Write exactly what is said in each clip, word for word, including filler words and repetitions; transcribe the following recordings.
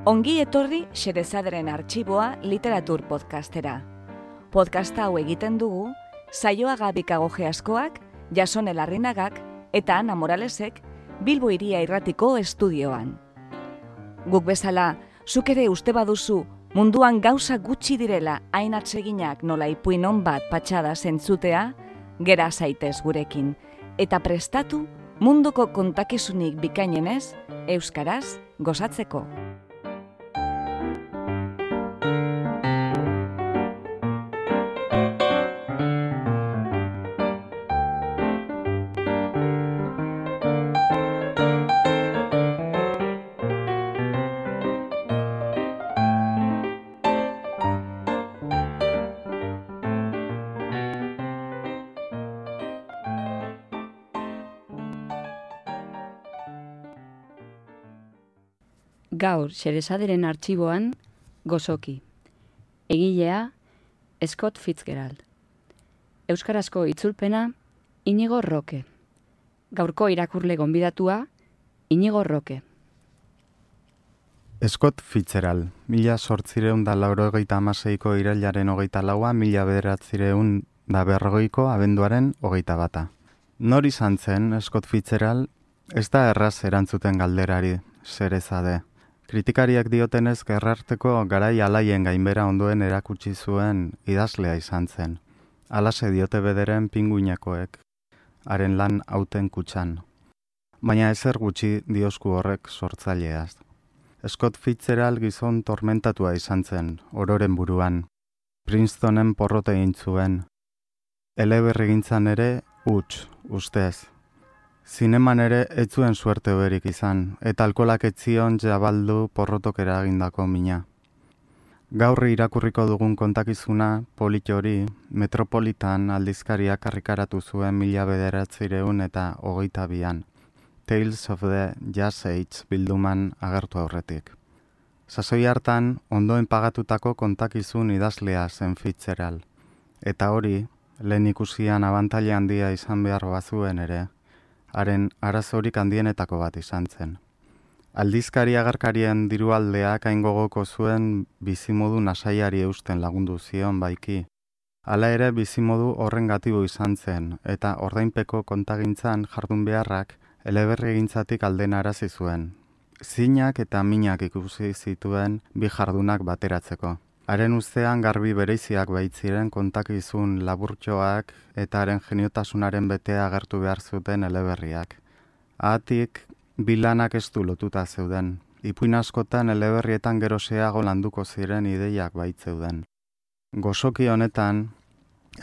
Ongi etorri Xerezaderen Artxiboa literatur podcastera. Podcasta hau egiten dugu Saioa Gabikagoge askoak, Jasone Larrinagak eta Ana Moralesek Bilbo Hiria Irratiko estudioan. Guk bezala, zuk ere uste baduzu munduan gauza gutxi direla hain atseginak nola ipuin on bat patxada zentzutea, gera zaitez gurekin, eta prestatu munduko kontakizunik bikainenez, euskaraz gozatzeko. Gaur, Xerezaderen Artxiboan, Gozoki. Egilea, Scott Fitzgerald. Euskarazko itzulpena, Inigo Roque. Gaurko irakurle gonbidatua, Inigo Roque. Scott Fitzgerald, mila sortzireun da laurogeita amaseiko irailaren hogeita laua, mila bederatzireun da berrogeiko abenduaren hogeita bata. Nor izan zen Scott Fitzgerald, ez da erraz erantzuten galderari, Xerezade. Kritikariak diotenez gerrarteko garai alaien gainbera ondoen erakutsi zuen idazlea izan zen. Alase diote bederen pinguinakoek, haren lan hauten kutxan. Baina ezer gutxi diosku horrek sortzaileaz. Scott Fitzgerald gizon tormentatua izan zen, ororen buruan. Princetonen porrote egin zuen. Eleberrigintzan ere, huts, ustez. Zineman ere ez zuen suerte hoberik izan, eta alkolak ez zion jabaldu porrotok eragindako mina. Gaur irakurriko dugun kontakizuna, polit hori, Metropolitan aldizkariak karrikaratu zuen mila bederatzireun eta hogeita bian. Tales of the Jazz Age bilduman agertu aurretik. Sasoi hartan, ondoen pagatutako kontakizun idazlea zen Fitzgerald. Eta hori, lehen ikusian abantaila handia izan behar bazuen ere, haren arazorik handienetako bat izan zen. Aldizkari agerkarien dirualdeak hain gogoko zuen bizimodu nasaiari eusten lagundu zion baiki. Hala ere bizimodu horren gatibo izan zen, eta ordainpeko kontagintzan jardun beharrak eleberrigintzatik alden arazi zuen. Zinak eta minak ikusi zituen bi jardunak bateratzeko. Haren ustean garbi bereiziak baitziren kontakizun laburtxoak eta haren geniotasunaren betea agertu behar zuten eleberriak. Ahatik, bilanak ez du lotuta zeuden. Ipuin askotan eleberrietan geroseago landuko ziren ideiak baitzeuden. Gozoki honetan,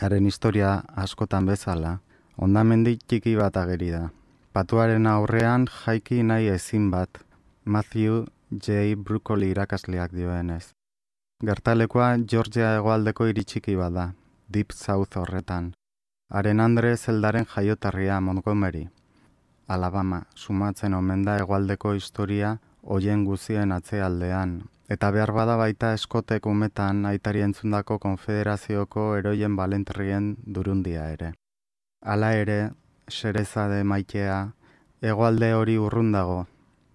haren historia askotan bezala, hondamendi txiki bat ageri da. Patuaren aurrean jaiki nahi ezin bat, Matthew J. Broccoli irakasleak dioenez. Gertalekoa Georgia hegoaldeko hiri txiki bada, Deep South horretan. Haren Andre Zeldaren jaiotarria Montgomery, Alabama, sumatzen omen da hegoaldeko historia hoien guzien atzealdean, eta behar bada baita Scottek umetan aitari entzundako konfederazioko eroien balentrien durundia ere. Hala ere, Xerezade maitea, hegoalde hori urrun dago,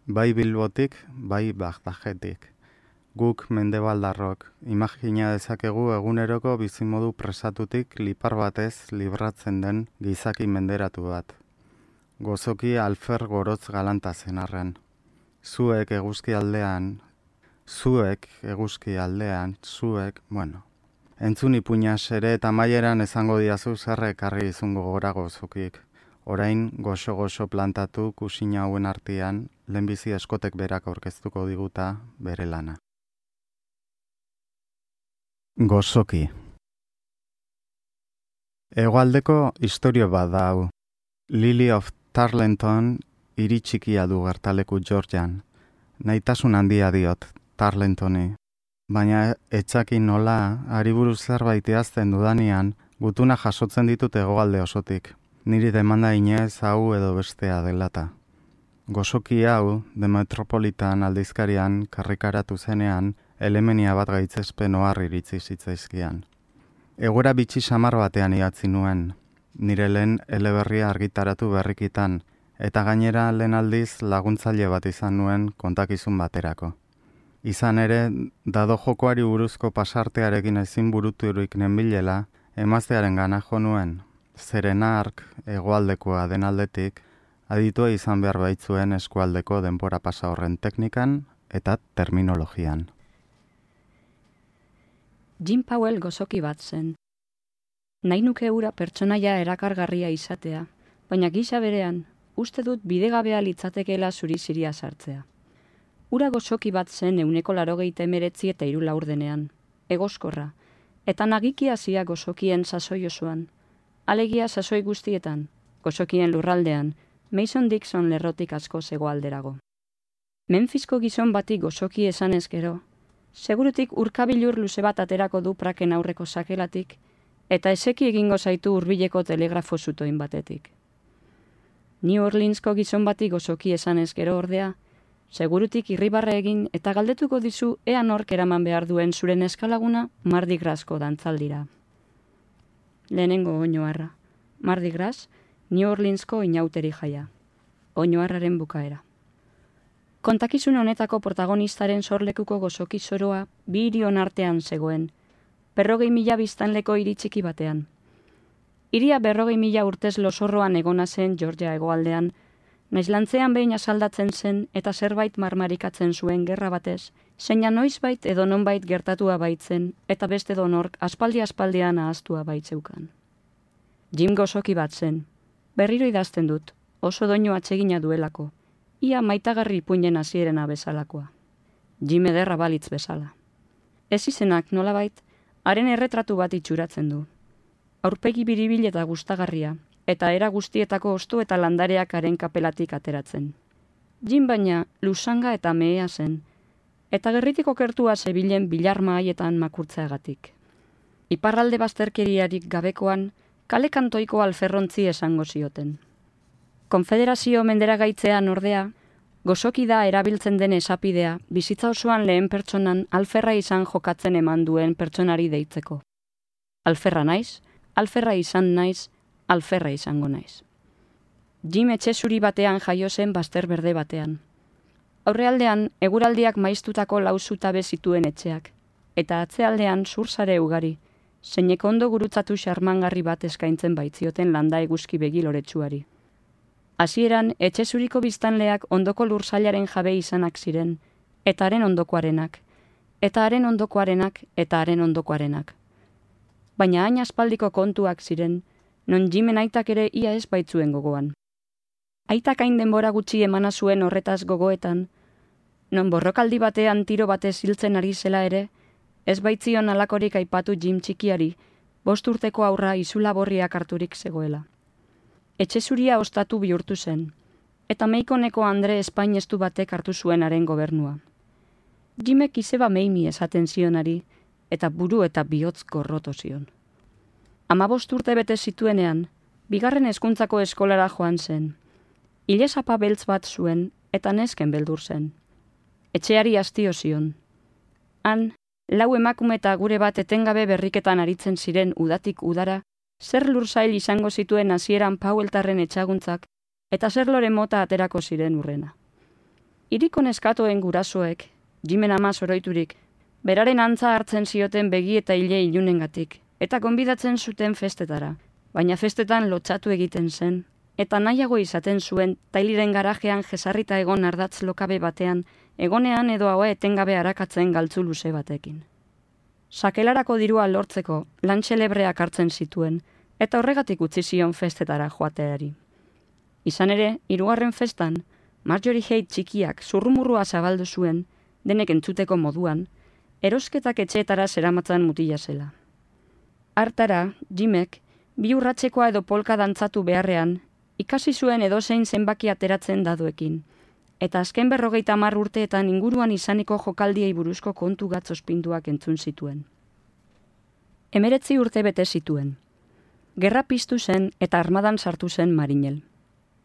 bai Bilbotik, bai Bagdadetik. Guk mendebaldarrok, imagina dezakegu eguneroko bizimodu presatutik lipar batez libratzen den gizaki menderatu bat. Gozoki alfer gorotz galanta zen arren. Zuek eguzki aldean, zuek eguzki aldean, zuek, bueno. Entzun ipuinas ere eta maieran esango diazu zer ekarri izungo gora gozokik. Orain goxo-goxo plantatu kusina hauen artean, lehenbizi Scottek berak aurkeztuko diguta bere lana. Gozoki. Hegoaldeko istorio bat da hau. Lily of Tarleton hiri txikia du gertaleku Georgian. Naitasun handia diot Tarletoni. Baina etxakin nola, hari buruz zerbait idazten dudanean, gutuna jasotzen ditut hegoalde osotik. Niri demanda inez hau edo bestea delata. Gozoki hau, The Metropolitan aldizkarian karrikaratu zenean, elemenia bat gaitzespen ohar iritzi zitzaizkian. Egoera bitxi samar batean idatzi nuen, nire lehen eleberria argitaratu berrikitan, eta gainera lehen aldiz laguntzaile bat izan nuen kontakizun baterako. Izan ere, dado jokoari buruzko pasartearekin ezin buruturik nenbilela, emaztearen gana jo nuen, zeren ark hegoaldekoa den aldetik, aditua izan behar baitzuen eskualdeko denbora pasa horren teknikan eta terminologian. Jim Powell gozoki bat zen. Nahi nuke ura pertsonaia erakargarria izatea, baina gisa berean, uste dut bidegabea litzatekeela zuri ziria sartzea. Ura gozoki bat zen euneko larogeita emeretzi eta hiru laurdenean, egoskorra, eta nagiki hasia gozokien sasoi osoan, alegia sasoi guztietan, gozokien lurraldean, Mason Dixon lerrotik asko hegoalderago. Memphisko gizon bati gozoki esan ezkero, segurutik urkabilur luze bat aterako du praken aurreko sakelatik, eta eseki egingo zaitu hurbileko telegrafo zutoin batetik. New Orleansko gizon bati gozoki esan ezkero ordea, segurutik irribarre egin eta galdetuko dizu ea nork eraman behar duen zuren eskalaguna Mardi Grasko dantzaldira. Lehenengo oinoarra. Mardi Gras, New Orleansko inauteri jaia. Oinoarraren bukaera. Kontakizun honetako protagonistaren sorlekuko gozoki zoroa bi hirion artean zegoen, berrogei mila biztanleko hiri txiki batean. Hiria berrogei mila urtez losorroan egona zen Georgia hegoaldean, naiz lantzean behin asaldatzen zen eta zerbait marmarikatzen zuen gerra batez, zeina noizbait edo nonbait gertatua baitzen eta beste donork aspaldi-aspaldian ahaztua baitzeukan. Jim gozoki bat zen, berriro idazten dut, oso doinu atsegina duelako, ia maitagarri ipuinen hasierena bezalakoa. Jim ederra balitz bezala. Ez izenak nolabait, haren erretratu bat itxuratzen du. Aurpegi biribil eta gustagarria, eta era guztietako ostu eta landareak haren kapelatik ateratzen. Jim baina lusanga eta mehea zen, eta gerritik okertua zebilen bilarma haietan makurtzeagatik. Iparralde bazterkeriarik gabekoan, kale kantoiko alferrontzi esango zioten. Konfederazio menderagaitzean ordea, gozoki da erabiltzen den esapidea, bizitza osoan lehen pertsonan alferra izan jokatzen eman duen pertsonari deitzeko. Alferra naiz, alferra izan naiz, alferra izango naiz. Jim etxe zuri batean jaio zen bazter berde batean. Aurrealdean, eguraldiak maiztutako lau zutabe zituen etxeak, eta atzealdean zursare ugari, zeinek ondo gurutzatu xarmangarri bat eskaintzen baitzioten landa eguzki begi loretsuari. Hasieran etxe zuriko biztanleak ondoko lursailaren jabe izanak ziren, eta haren ondokoarenak, eta haren ondokoarenak, eta haren ondokoarenak. Baina hain aspaldiko kontuak ziren, non Jimen aitak ere ia ez baitzuen gogoan. Aitak hain denbora gutxi emana zuen horretaz gogoetan, non borrokaldi batean tiro batez hiltzen ari zela ere, ez baitzion alakorik aipatu Jim txikiari, bost urteko aurra izula borriak harturik zegoela. Etxe zuria ostatu bihurtu zen, eta meikoneko Andre espainestu batek hartu zuenaren gobernua. Jimek izeba meimi esaten zionari, eta buru eta bihotz gorroto zion. Hamabost urte bete zituenean, bigarren hezkuntzako eskolara joan zen. Ilesapa beltz bat zuen, eta nesken beldur zen. Etxeari hastio zion. Han, lau emakume eta gure bat etengabe berriketan aritzen ziren udatik udara, zer lursail izango zituen hasieran Powelltarren etxaguntzak, eta zer lore mota aterako ziren urrena. Hiriko neskatoen gurasoek, Jimen ama zoroiturik, beraren antza hartzen zioten begi eta hile ilunengatik, eta gonbidatzen zuten festetara, baina festetan lotsatu egiten zen, eta nahiago izaten zuen tailiren garajean jesarrita egon ardatz lokabe batean, egonean edo haua etengabe arakatzen galtzu luze batekin. Sakelarako dirua lortzeko lan xelebreak hartzen zituen, eta horregatik utzi zion festetara joateari. Izan ere, hirugarren festan, Marjorie Haight txikiak zurrumurrua zabaldu zuen, denek entzuteko moduan, erosketak etxeetara zeramatzan mutila zela. Hartara, Jimek, bi urratzekoa edo polka dantzatu beharrean, ikasi zuen edozein zenbaki ateratzen dadoekin, eta azken berrogeita hamar urteetan inguruan izaniko jokaldiei buruzko kontu gatzospinduak entzun zituen. Emeretzi urte bete zituen. Gerra piztu zen eta armadan sartu zen Marinel.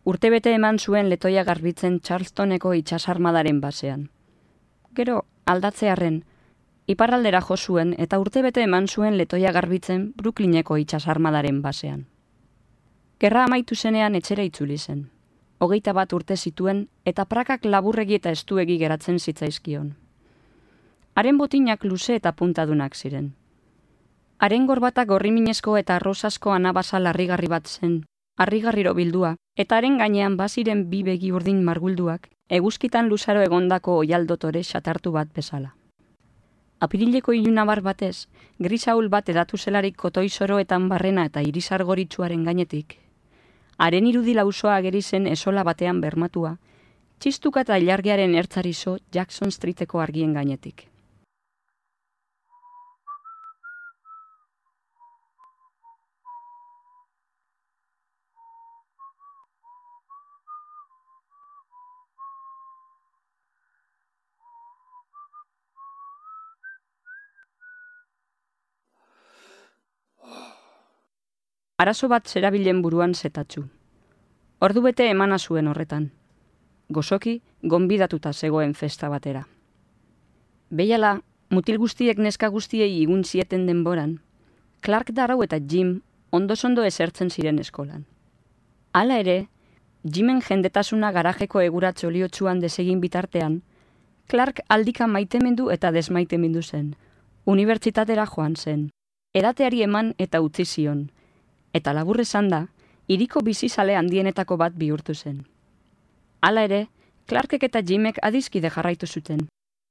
Urtebete eman zuen letoia garbitzen Charlestoneko itsasarmadaren basean. Gero, aldatzearren, iparraldera jo zuen eta urtebete eman zuen letoia garbitzen Brooklyneko itsasarmadaren basean. Gerra amaitu zenean etxera itzuli zen. Hogeita bat urte zituen eta prakak laburregi eta estuegi geratzen zitzaizkion. Haren botinak luze eta puntadunak ziren. Haren gorbata gorriminezko eta arrosasko anabasa larrigarri bat zen, harrigarriro bildua, eta haren gainean baziren bi begi urdin margulduak, eguzkitan luzaro egondako oialdotore xatartu bat bezala. Apirileko ilunabar batez, grisaul bat edatu zelarik kotoi soroetan barrena eta irisar goritsuaren gainetik. Haren irudi lausoa ageri zen esola batean bermatua, txistuka eta ilargiaren ertzarizo Jackson Streeteko argien gainetik. Arazo bat zerabilen buruan zetatzu. Ordu bete emana zuen horretan. Gozoki, gonbidatuta zegoen festa batera. Behiala, mutil guztiek neska guztiei igun zieten denboran, Clark Darrow eta Jim ondosondo esertzen ziren eskolan. Hala ere, Jimen jendetasuna garajeko eguratz oliotsuan desegin bitartean, Clark aldika maitemendu eta desmaitemendu zen. Unibertsitatera joan zen, edateari eman eta utzi zion, eta labur esan da, hiriko bizizale handienetako bat bihurtu zen. Hala ere, Clarkek eta Jimek adizkide jarraitu zuten,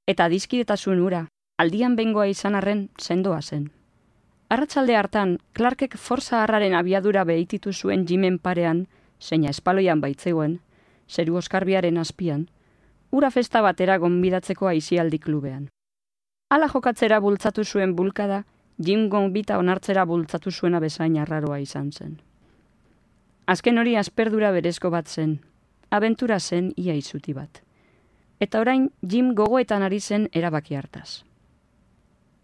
eta adizkidetasun hura, aldian bengoa izan arren sendoa zen. Arratsalde hartan, Clarkek forza harraren abiadura behititu zuen Jimen parean, zeina espaloian baitzegoen, zeru oskarbiaren azpian, ura festa batera gonbidatzeko aisialdi klubean. Hala jokatzera bultzatu zuen bulkada, Jim gonbita onartzera bultzatu zuena bezain arraroa izan zen. Azken hori asperdura berezko bat zen, abentura zen ia izuti bat. Eta orain Jim gogoetan ari zen erabaki hartaz.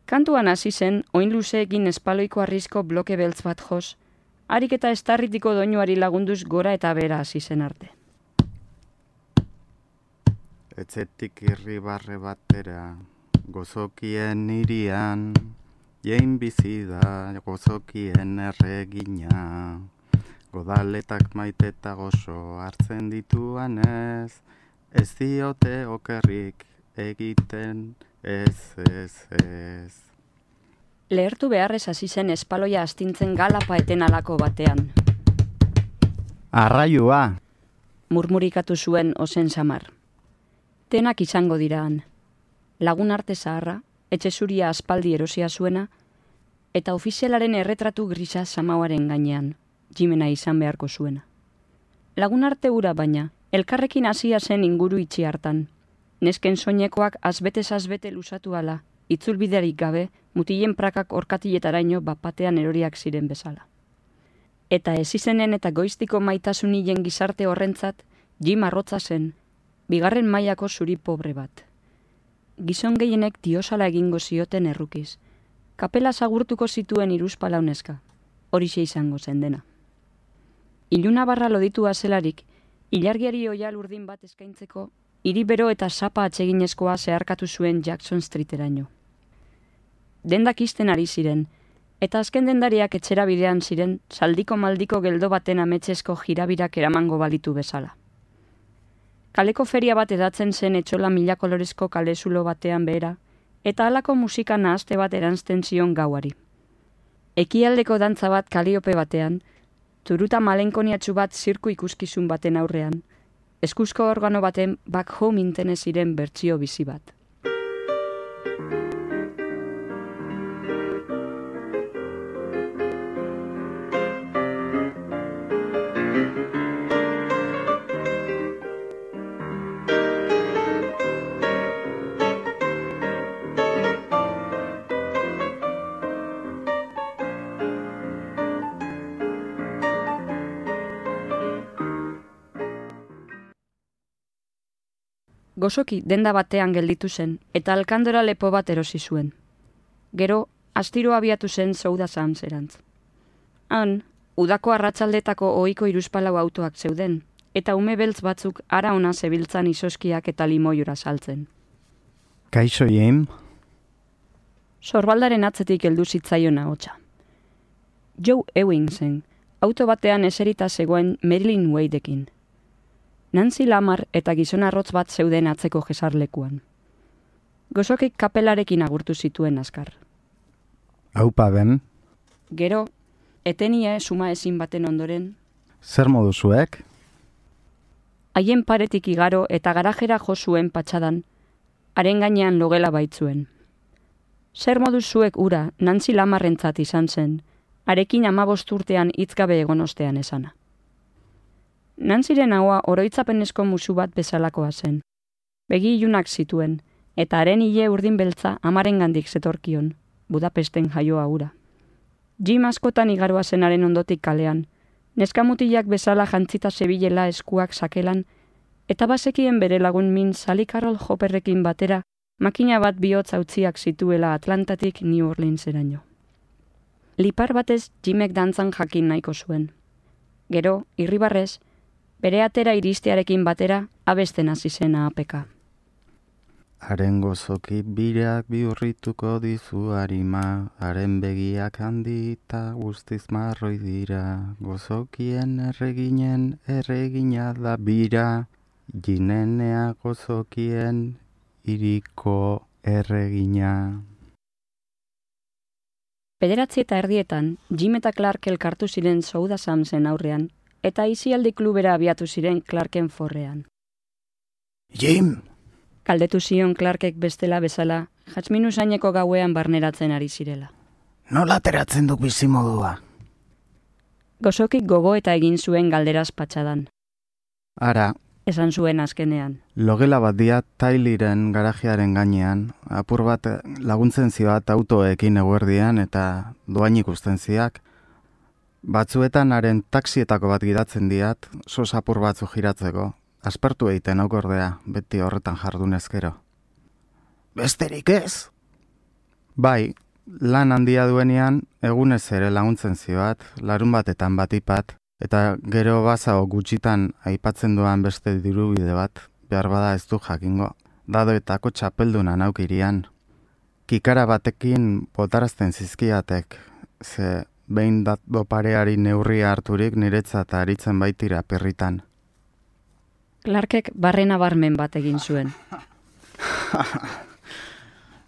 Kantuan hasi zen, oin luzeekin espaloiko arrizko bloke beltz bat jos, harik eta estarritiko doinuari lagunduz gora eta bera hasi zen arte. Etzetik irribarre batera, gozokien irian, jein bizi da gozokien erregina, godaletak maite eta gozo hartzen dituan ez, ez diote okerrik egiten ez, ez, ez. Lehertu beharrez hasi zen espaloia astintzen galapa eten alako batean. Arraioa! Murmurikatu zuen ozen samar. Tenak izango diraan. Lagun arte zaharra, etxe zuria aspaldi erosia zuena, eta ofizialaren erretratu grisa samauaren gainean, Jimena izan beharko zuena. Lagun arte hura baina, elkarrekin hasia zen inguru itxi hartan. Nesken soinekoak azbetez azbete luzatu ala, itzulbiderik gabe, mutilen prakak orkatiletaraino bapatean eroriak ziren bezala. Eta ez izenen eta goiztiko maitasunien gizarte horrentzat, Jim arrotza zen, bigarren mailako zuri pobre bat. Gizon gehienek diosala egingo zioten errukiz. Kapela zagurtuko zituen hiruzpalau neska, horixe izango zen dena. Iluna barra loditua zelarik, ilargiari oial urdin bat eskaintzeko, hiri bero eta sapa atseginezkoa zeharkatu zuen Jackson Streeteraino. Dendak isten ari ziren, eta azken dendariak etxera bidean ziren, zaldiko maldiko geldo baten ametsesko jirabirak eramango balitu bezala. Kaleko feria bat edatzen zen etxola mila kolorezko kalezulo batean behera, eta halako musika nahazte bat eranzten zion gauari. Ekialdeko dantza bat kaliope batean, turuta malenkoniatsu bat zirku ikuskizun baten aurrean, eskuzko organo baten back home intene ziren bertsio bizi bat. Gozoki denda batean gelditu zen, eta alkandora lepo bat erosi zuen. Gero, astiro abiatu zen Souda Sands-erantz. Han, udako arratsaldetako ohiko hiruzpalau autoak zeuden, eta ume beltz batzuk ara ona zebiltzan izoskiak eta limoiora saltzen. Kaixo, Jim? Sorbaldaren atzetik heldu zitzaion ahotsa. Joe Ewing zen, auto batean eserita zegoen Marilyn Wadeekin. Nancy Lamar eta gizon arrotz bat zeuden atzeko jesarlekuan. Gozokik kapelarekin agurtu zituen azkar. Aupa ben, Gero, etenia suma ezin baten ondoren, zer modu zuek? haien paretik igaro eta garajera jo zuen patxadan, haren gainean logela baitzuen. Zer modu zuek ura Nancy Lamarrentzat izan zen, harekin amabost urtean hitzgabe egon ostean esana. Nancyren haua oroitzapenezko musu bat bezalakoa zen. Begi ilunak zituen, eta haren ile urdin beltza amarengandik zetorkion, Budapesten jaioa ura. Jim askotan igaroa zenaren ondotik kalean, neskamutilak bezala jantzita zebilela eskuak sakelan, eta bazekien bere lagun min Sally Carroll Hopperrekin batera makina bat bihotz hautziak zituela Atlantatik New Orleanseraino. Lipar batez Jimek dantzan jakin nahiko zuen. Gero, irribarrez, bere atera iristearekin batera abesten hasi zen apeka. Haren gozoki birak bihurrituko dizu harima, haren begiak handita guztiz marroi dira, gozokien erreginen erregina da bira, ginenea gozokien iriko erregina. Bederatzi eta erdietan, Jim eta Clark elkartu ziren Souda Samsen aurrean, eta aisialdi klubera abiatu ziren Clarken forrean. Jim! Kaldetu zion Clarkek bestela bezala, jatzmin usaineko gauean barneratzen ari zirela. Nola ateratzen duk bizimodua? Gozokik gogo eta egin zuen galderaz patxadan. Ara, Esan zuen azkenean. logela bat dia Tyliren garajearen gainean, apur bat laguntzen zioat autoekin eguerdian eta doain ikusten ziak. Batzuetan haren taksietako bat gidatzen diat, sos apur batzu giratzeko. Aspertu egiten aukordea, beti horretan jardunezkero. Besterik ez? Bai, lan handia duenean, egunez ere laguntzen zioat, larun batetan batipat, eta gero bazago gutxitan aipatzen duan beste dirubide bat, behar bada ez du jakingo, dadoetako txapelduna naukirian. Kikara batekin botarazten zizkiatek, ze behin dado pareari neurria harturik niretzat aritzen baitira perritan. Clarkek barrena barmen bat egin zuen.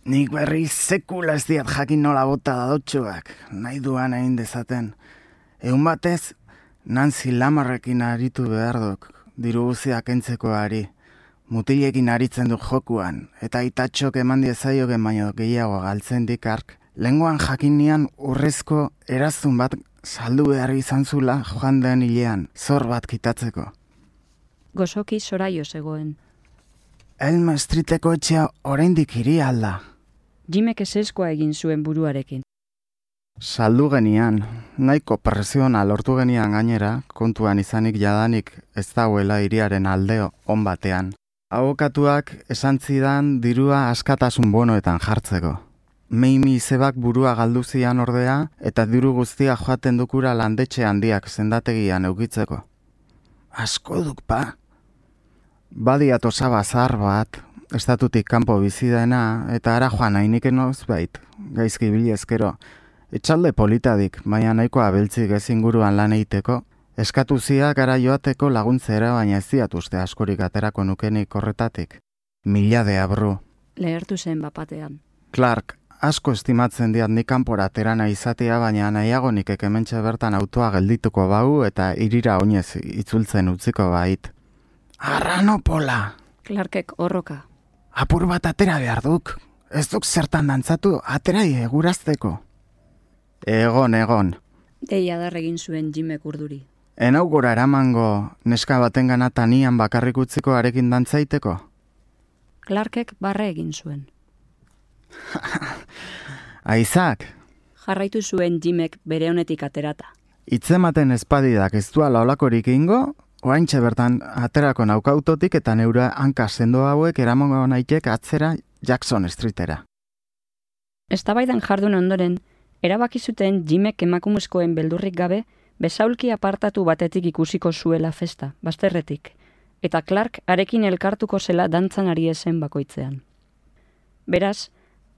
Nik berri sekula ez diat jakin nola bota dadotxoak, nahi duan egin dezaten. Egun batez, Nancy Lamarrekin aritu behar duk, diru guziak entzeko ari. Mutilekin aritzen duk jokuan, eta itatxok eman diezaioken baino gehiago galtzen dikark. Lengoan jakinian urrezko eraztun bat saldu behar izan zula joan den hilean, zor bat kitatzeko. Gozoki zoraio zegoen. Elm Streeteko etxea oraindik hiri alda. Jimek eseskoa egin zuen buruarekin. Saldu genian, nahiko presiona lortu genian gainera, kontuan izanik jadanik ez dagoela hiriaren aldeo on batean. Abokatuak esan zidan dirua askatasun bonoetan jartzeko. Meimi izebak burua galdu zian ordea eta diru guztia joaten dukura landetxe handiak zendategian eukitzeko. Asko duk pa. Badiat osaba zahar bat, estatutik kanpo bizi dena, eta ara joan hainiken ozbait, gaizki bilezkero. Etxalde politadik, baina nahikoa beltzik ez inguruan lan egiteko, eskatu zia gara joateko laguntzera, baina ez diat uste askorik aterako nukenik horretatik. Mila de abru. Lehertu zen bapatean. Clark, asko estimatzen diat nik kanpora aterana izatea, baina nahiago nik hementxe bertan autoa geldituko bau eta irira oinez itzultzen utziko bait. Arranopola! Clarkek horroka. Apur bat atera behar duk. Ez duk zertan dantzatu, aterai egurazteko. Egon, egon. Deia dar egin zuen Jimek urduri. Enau gora eramango neska baten ganata nian bakarrik utziko arekin dantzaiteko? Clarkek barre egin zuen. Aizak, Jarraitu zuen Jimek bere honetik aterata. itzematen espadidak ez duala olakorik ingo, oaintxe bertan aterako naukautotik eta neura hanka sendo hauek eramango naitek atzera Jackson Streetera. Eztabaidan jardun ondoren, erabaki zuten Jimek emakumezkoen beldurrik gabe besaulki apartatu batetik ikusiko zuela festa, bazterretik, eta Clark arekin elkartuko zela dantzan ari ezen bakoitzean. Beraz,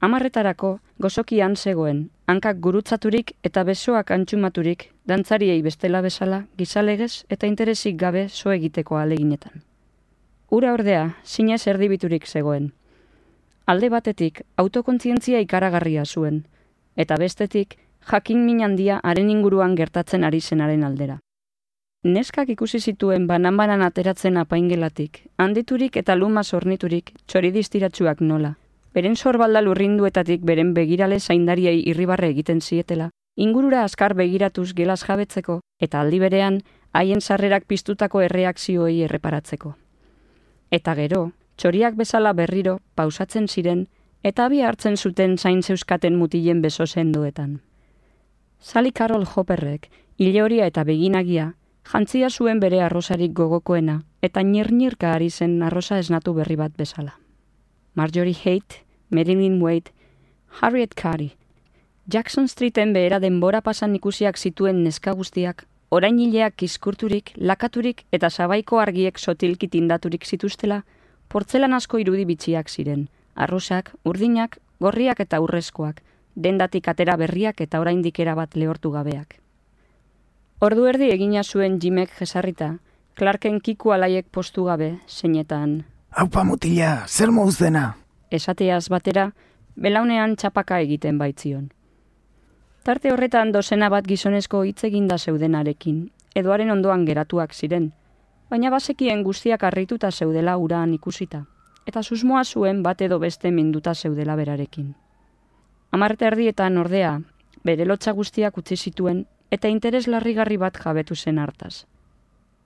hamarretarako gozokian zegoen, hankak gurutzaturik eta besoak antxumaturik, dantzariei bestela bezala, gizalegez eta interesik gabe so egiteko aleginetan. Ura ordea, zinez erdibiturik zegoen. Alde batetik, autokontzientzia ikaragarria zuen, eta bestetik, jakin min handia haren inguruan gertatzen ari zenaren aldera. Neskak ikusi zituen banan-banan ateratzen apaingelatik, handiturik eta lumaz orniturik, txoridistiratsuak nola. Beren sorbalda lurrinduetatik beren begirale zaindariei irribarre egiten zietela, ingurura azkar begiratuz gelaz jabetzeko, eta aldi berean, haien sarrerak piztutako erreakzioei erreparatzeko. Eta gero, txoriak bezala berriro, pausatzen ziren, eta abi hartzen zuten zain zeuskaten mutilen beso sendoetan. Sally Carol Hopperrek, ilehoria eta beginagia, jantzia zuen bere arrosarik gogokoena, eta nirnirka ari zen arrosa esnatu berri bat bezala. Marjorie Haight, Marilyn Wade, Harriet Carey, Jackson Streeten behera denbora pasan ikusiak zituen neska guztiak, orain hileak kiskurturik, lakaturik eta sabaiko argiek sotilki tindaturik zituztela, portzelan asko irudi bitxiak ziren, arrosak, urdinak, gorriak eta urrezkoak, dendatik atera berriak eta oraindik erabat lehortu gabeak. Ordu erdi egina zuen Jimek jesarrita, Clarken kiku alaiek postu gabe, zeinetan. Aupa mutila, zer mouz dena? Esateaz batera, belaunean txapaka egiten baitzion. Tarte horretan dozena bat gizonezko hitz eginda zeudenarekin, edoaren ondoan geratuak ziren, baina bazekien guztiak harrituta zeudela uraan ikusita, eta susmoa zuen bat edo beste minduta zeudela berarekin. Hamar erdietan ordea, bere lotxa guztiak utzi zituen, eta interes larrigarri bat jabetu zen hartaz.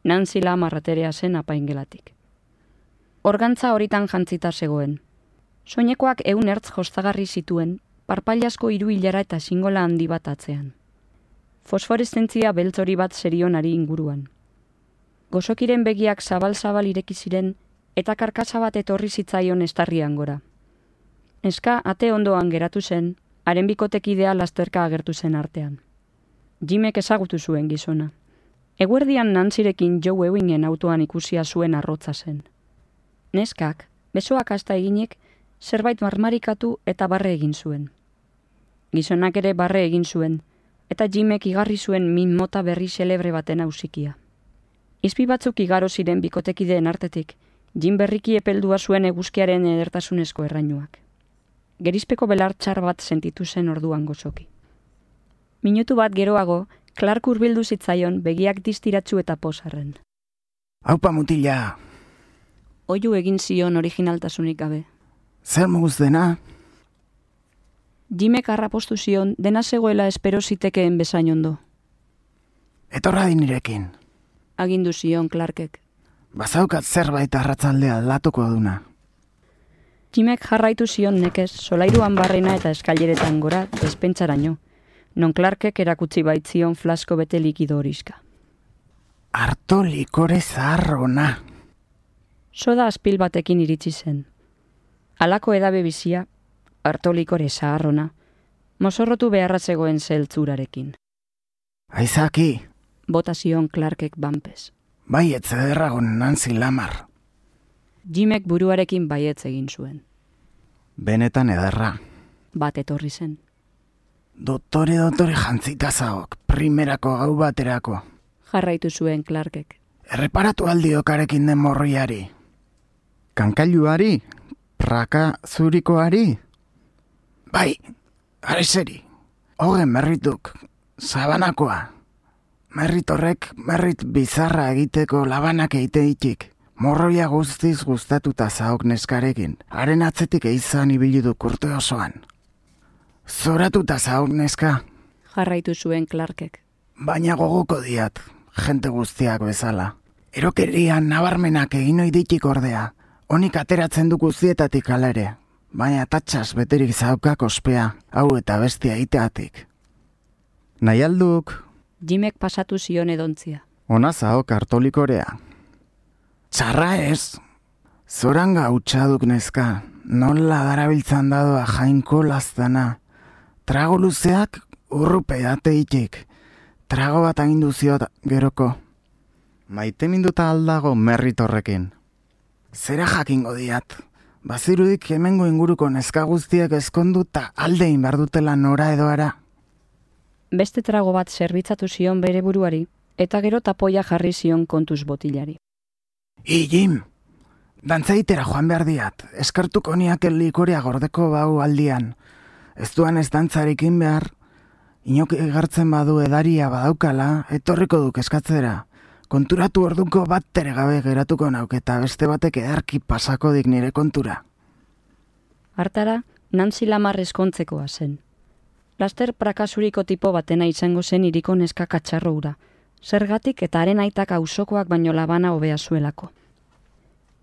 Nancy Lamarraterea zen apaingelatik. Organtza horitan jantzita zegoen. Soinekoak ehun ertz jostagarri zituen, parpailasko hiru hilara eta singola handi bat atzean. Fosforeszentzia beltzori bat zerionari inguruan. Gozokiren begiak zabal-zabal ireki ziren, eta karkasa bat etorri zitzaion estarrian gora. Neska ate ondoan geratu zen, haren bikotekidea lasterka agertu zen artean. Jimek ezagutu zuen gizona. Eguerdian Nantzirekin Joe Ewingen autoan ikusia zuen arrotza zen. Neskak, besoak hasta eginek, zerbait marmarikatu eta barre egin zuen. Gizonak ere barre egin zuen, eta Jimek igarri zuen min mota berri xelebre baten ausikia. Izpi batzuk igaro ziren bikotekideen artetik, Jim berriki epeldua zuen eguzkiaren edertasunezko errainuak. Gerizpeko belar txar bat sentitu zen orduan gozoki. Minutu bat geroago, Clark hurbildu zitzaion begiak distiratsu eta posarren. Aupa mutila! Oihu egin zion originaltasunik gabe. Zer moguz dena? Jimek harrapostu zion dena zegoela espero zitekeen bezain ondo. Etorra dinirekin. Agindu zion Clarkek. Bazaukat zerbait arratzaldea aldatuko duna. Jimek jarraitu zion nekez, solairuan barrena eta eskaileretan gora, despentsaraino, non Clarkek erakutsi baitzion flasko bete likido horiska. Arto likore zaharrona. Soda azpil batekin iritsi zen. Halako edabe bizia, arto likore zaharrona, mozorrotu beharra zegoen zeltzurarekin. Aizaki! Bota zion Clarkek banpez. Baietz ederragon Nancy Lamar. Jimek buruarekin baietz egin zuen. Benetan ederra. Bat etorri zen. Doktore, doktore jantzita zaok, primerako gau baterako. Jarraitu zuen Clarkek. Erreparatu aldiokarekin den morroiari. Kankailuari? Praka zurikoari? Bai, areseri. Hogen merrituk, sabanakoa. Merrit horrek, merrit bizarra egiteko labanak eiteitik. Morroia guztiz gustatuta zaok neskarekin. Haren atzetik eizan ibilidu kurte osoan. Zoratuta zaok neska. Jarraitu zuen Clarkek. Baina gogoko diat, jente guztiak bezala. Erokerian nabarmenak egin oiditik ordea. Honik ateratzen du guztietatik alere. Baina tatxas beterik zaukak ospea, hau eta bestia iteatik. Nahi alduk... Jimek pasatu zion edontzia. Ona zaok hartolikorea. Txarra ez. Zoranga hautsaduk neska. Nola darabiltzan dadoa jainko laztana. Trago luzeak urrupe ateitik. Trago bat agindu ziot geroko. Maite minduta aldago merrit horrekin. Zera jakingo diat. Bazirudik hemengo inguruko neska guztiak eskonduta aldein bardutela nora edoara. Beste trago bat zerbitzatu zion bere buruari, eta gero tapoia jarri zion kontuz botilari. I, Jim, Dantzaitera joan behar diat, eskartuko niak likorea gordeko bau aldian. Ez duan ez dantzarikin behar, inok egartzen badu edaria badaukala, etorriko duk eskatzera. Konturatu orduko bat tere gabe geratuko nauk eta beste batek edarki pasako dik nire kontura. Hartara, Nancy Lamar eskontzekoa zen. Laster prakasuriko tipo batena izango zen iriko neska katxarro ura, zergatik eta haren aitak auzokoak baino labana hobea zuelako.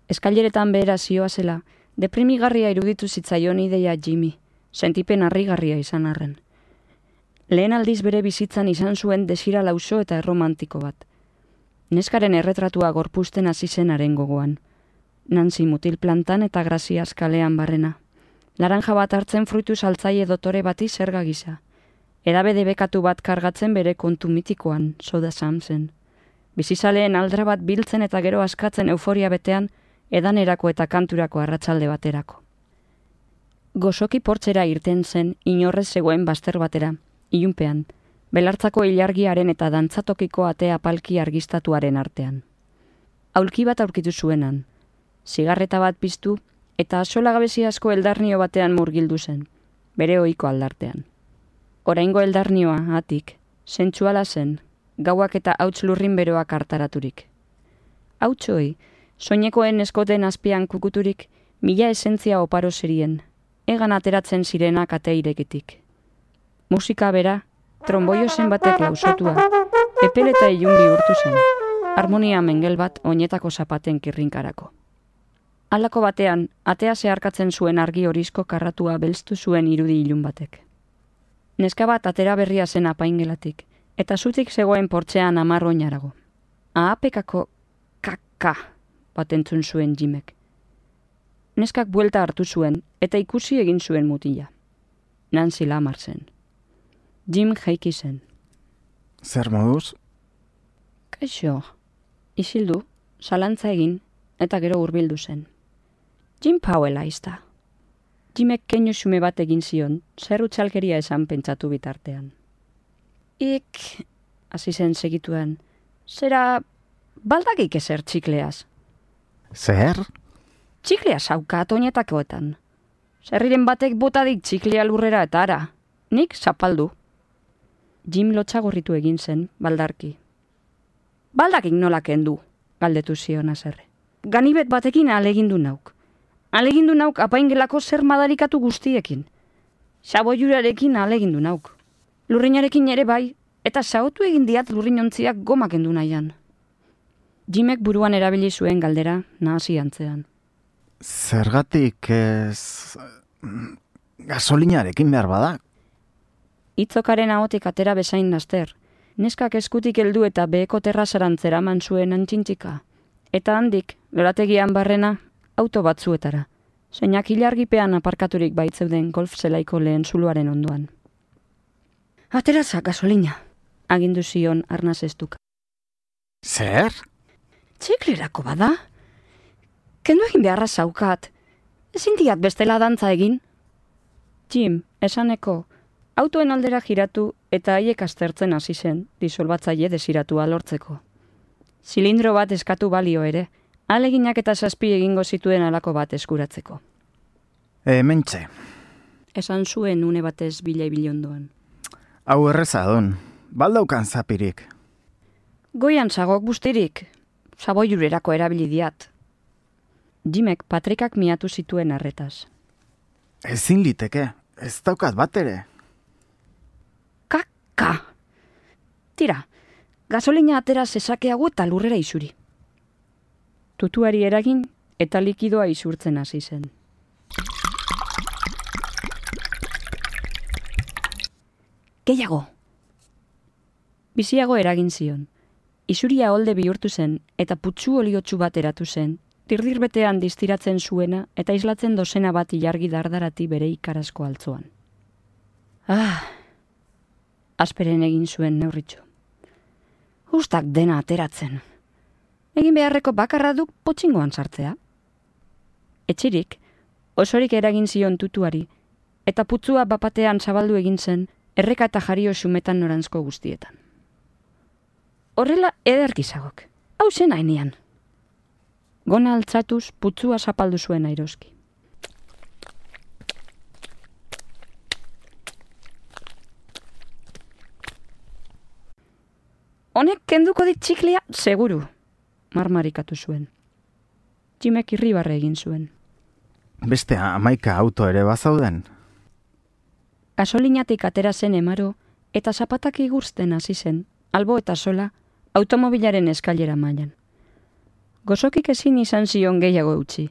Eskaileretan behera zioa zela, deprimigarria iruditu zitzaion ideia Jimmy, sentipen harrigarria izan arren. Lehen aldiz bere bizitzan izan zuen desira lauso eta erromantiko bat. Neskaren erretratua gorpusten hasi zen haren gogoan. Nancy mutil plantan eta Graziaz kalean barrena. Laranja bat hartzen fruitu saltzaile dotore bati zerga gisa. Edabede bekatu bat kargatzen bere kontu mitikoan, Soda Samsen. Bizizaleen aldra bat biltzen eta gero askatzen euforia betean, edanerako eta kanturako arratsalde baterako. Gozoki portzera irten zen inorrez zegoen bazter batera, ilunpean, belartzako ilargiaren eta dantzatokiko ate apalki argistatuaren artean. Aulki bat aurkitu zuenan, zigarreta bat piztu eta asolagabezi asko eldarnio batean murgildu zen, bere ohiko aldartean. Oraingo eldarnioa, atik, sentsuala zen, gauak eta hauts lurrin beroak hartaraturik. Hautsoi, soinekoen eskoten azpian kukuturik, mila esentzia oparo zerien, egan ateratzen zirenak ate irekitik. Musika bera, tromboio zen batek lausotua, epel eta ilun bihurtu zen, harmonia mengel bat oinetako zapaten kirrinkarako. Halako batean, atea zeharkatzen zuen argi horizko karratua belztu zuen irudi ilun batek. Neska bat atera berria zen apaingelatik, eta zutik zegoen portzean hamar oinarago. Ahapekako kaka bat entzun zuen Jimek. Neskak buelta hartu zuen, eta ikusi egin zuen mutila. Nancy Lamar zen. Jim jaiki zen. Zer moduz? Kaixo, isildu, zalantza egin, eta gero hurbildu zen. Jim Powell aizta. Jimek keinu xume bat egin zion, zer utxalkeria esan pentsatu bitartean. Ik, hasi zen segituen, zera baldakik ezer txikleaz. Zer? Txiklea saukat oinetakoetan. Zerriren batek botadik txiklea lurrera eta ara, nik zapaldu. Jim lotxagorritu egin zen, baldarki. Baldakik nola kendu, galdetu zion azerre. Ganibet batekin alegindu nauk. Alegindu nauk apaingelako zer madarikatu guztiekin. Saboiurarekin alegindu nauk. Lurrinarekin ere bai, eta saotu egin diat lurrinontziak gomak endu nahian. Jimek buruan erabili zuen galdera nahasi antzean. Zergatik ez... gasolinarekin behar bada? Itzokaren ahotik atera bezain laster. Neskak eskutik heldu eta beheko terrazarantzera man zuen antxintxika. Eta handik, lorategian barrena, auto batzuetara. Zeinak ilargipean aparkaturik baitzeuden golf zelaiko lehen zuluaren ondoan. Ateraza, gasolina, agindu zion arnaz estuka. Zer? Txiklerako bada? Kendu egin beharra zaukat. Ezin diat bestela dantza egin? Jim, esaneko, autoen aldera giratu eta haiek aztertzen hasi zen, disolbatzaile desiratua lortzeko. Zilindro bat eskatu balio ere, aleginak eta zazpi egingo zituen halako bat eskuratzeko. Hementxe. Esan zuen une batez bila ibilondoan. Hau erreza don, baldaukan zapirik. Goian zagok bustirik, saboiurerako erabili diat. Jimek patrikak miatu zituen arretaz. Ezin liteke, ez daukat bat ere. Kaka! Tira, gasolina atera zezakeago eta lurrera isuri. Tutuari eragin eta likidoa isurtzen hasi zen. Gehiago! Biziago eragin zion. Isuria holde bihurtu zen eta putzu oliotsu bat eratu zen, tirdirbetean distiratzen zuena eta islatzen dozena bat ilargi dardarati bere ikarazko altzoan. Ah! Asperen egin zuen neurritxo. Ustak dena ateratzen. Egin beharreko bakarra duk potxingoan sartzea. Etxirik, osorik eragin zion tutuari, eta putzua bapatean zabaldu egin zen, erreka eta jario xumetan norantzko guztietan. Horrela ederkizagok, hau zen hainean. Gona altzatuz putzua zapaldu zuen airoski. Honek kenduko dit txiklia, seguru, marmarikatu zuen. Jimek irribarre egin zuen. Beste hamaika auto ere bazauden? Gasolinatik atera zen emaro eta zapatak igursten hasi zen, albo eta sola, automobilaren eskailera mailan. Gozokik ezin izan zion gehiago utzi.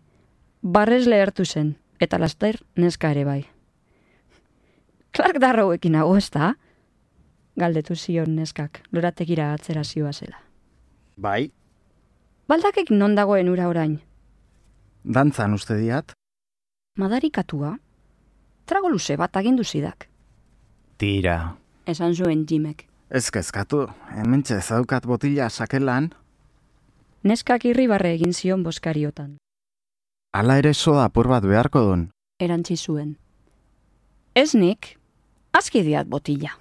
Barrez lehertu zen, eta laster neska ere bai. Clark Darrowekin hago ez da? Galdetu zion neskak, lorategira atzera zioa zela. Bai. Baldakek non dagoen ura orain? Dantzan uste diat? Madarikatua? Trago luze bat agindu zidak. Tira. Esan zuen Jimek. Ez kezkatu, hementxe zaukat botila sakelan. Neskak irribarre egin zion boskariotan. Hala ere soda apur bat beharko dun. Erantzi zuen. Ez nik, aski diat botila.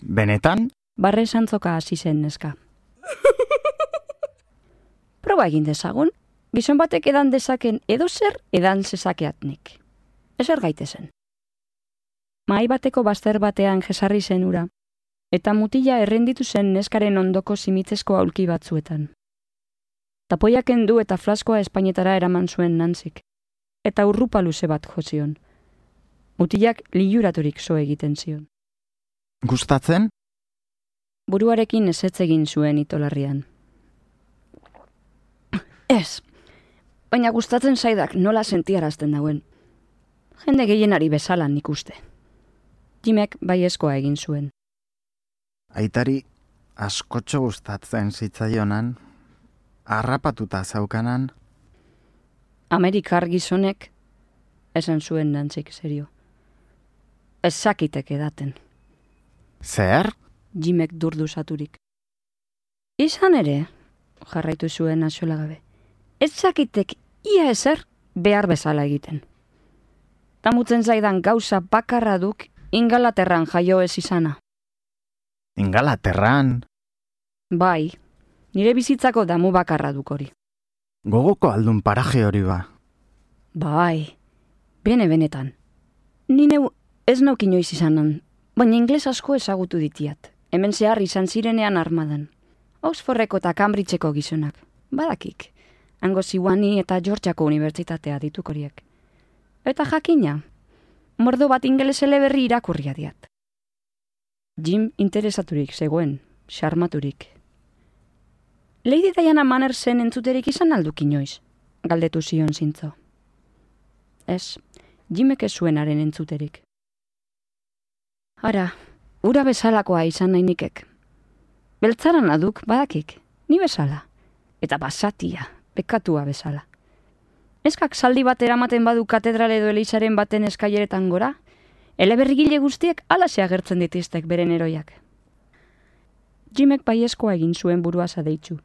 Benetan? Barre santzoka hasi zen neska. Proba egin dezagun, gizon batek edan dezaken edo zer edan zezakeat nik. Ezer gaitezen. Mahai bateko bazter batean jesarri zen ura, eta mutila errenditu zen neskaren ondoko simitzezko aulki batzuetan. Tapoiak kendu eta flaskoa Espainetara eraman zuen Nantzik, eta urrupa luze bat jozion. Mutilak liluraturik zo egiten zion. Gustatzen? Buruarekin ezetz egin zuen itolarrian. Ez, baina gustatzen zaidak nola sentiarazten dauen. Jende gehienari bezala nik uste. Jimek baiezkoa egin zuen. Aitari askotxo gustatzen zitzaionan, harrapatuta zaukanan. Amerikar gizonek, esan zuen Nantzik serio. Ez zakitek edaten. Zer? Jimek durduzaturik. Izan ere, jarraitu zuen axolagabe, ez zakitek ia ezer behar bezala egiten. Tamutzen zaidan gauza bakarra duk Ingalaterran jaio ez izana. Ingalaterran? Bai, nire bizitzako damu bakarra duk hori. Gogoko aldun paraje hori ba. Bai, bene benetan. Ni neu ez nauk inoiz izanan, baina ingles asko ezagutu ditiat. Hemen zehar izan zirenean armadan. Oxfordeko eta Cambridgeko gizonak. Badakik. Hango Ziwani eta Georgiako unibertsitatea dituk horiek. Eta jakina, mordo bat ingeles eleberri irakurria diat. Jim interesaturik zegoen, xarmaturik. Lady Diana Mannersen entzuterik izan alduk inoiz, galdetu zion zintzo. Ez, Jimek ez zuenaren entzuterik. Ara, ura bezalakoa izan nahi nikek. Beltzaran aduk, badakik, ni bezala. Eta basatia, pekatua bezala. Neskak zaldi bat eramaten badu katedral edo elizaren baten eskaileretan gora, eleberrigile guztiek alaxe agertzen ditiztek beren eroiak. Jimek baiezkoa egin zuen burua zadeitzu.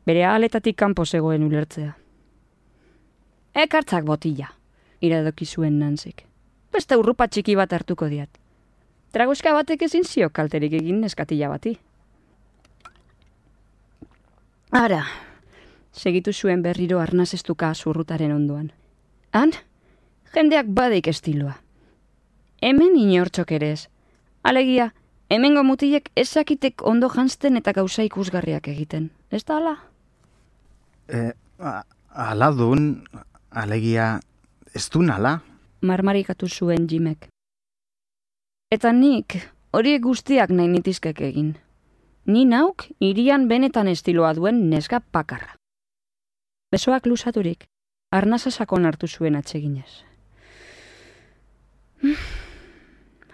Bere ahaletatik kanpo zegoen ulertzea. Ekartzak botila, iradoki zuen Nantzik. Beste urrupa txiki bat hartuko diat. Tragoska batek ezin zio kalterik egin neskatila bati. Ara, segitu zuen berriro arnazestuka zurrutaren ondoan. Han, jendeak badeik estiloa. Hemen inortxok ere ez. Alegia, hemengo mutilek ezakitek ondo janzten eta gauza ikusgarriak egiten. Ez da ala? E, ala dun, alegia, ez dun ala? Marmarikatu zuen Jimek. Eta nik, horiek guztiak nahi nitizkek egin. Ni nauk, irian benetan estiloa duen neska pakarra. Besoak luzaturik, arnaza sakon hartu zuen atseginez.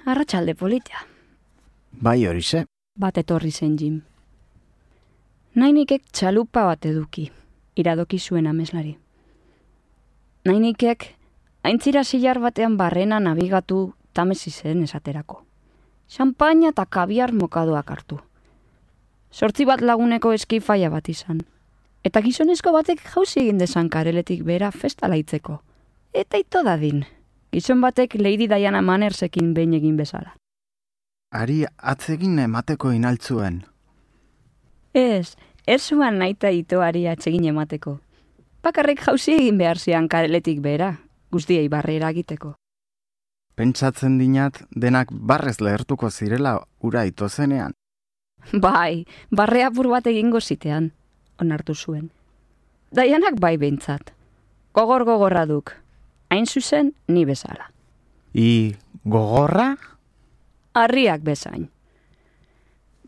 Arratsalde polita. Bai horixe. Bat etorri zen Jim. Nainikek txalupa bat eduki, iradoki zuen ameslari. Nainikek, aintzira zilar batean barrena nabigatu tamesi zen esaterako. Champaina eta kabiar mokadoak hartu. Sortzi bat laguneko eskifaia bat izan. Eta gizonezko batek jauzi egin dezan kareletik bera festa laitzeko. Eta ito dadin, gizon batek Lady Diana Mannersekin behin egin bezala. Ari atzegin emateko inaltzuen. Ez, Ez zuan naita itoari atsegin emateko. Bakarrik jauzi egin behar zian kaletik behera, guztiei barrera egiteko. Pentsatzen dinat denak barrez lehertuko zirela ura ito zenean. Bai, barre apur bat egingo zitean, onartu zuen. Daianak bai behintzat. Gogor gogorra duk. Hain zuzen, ni bezala. I gogorra? Harriak bezain.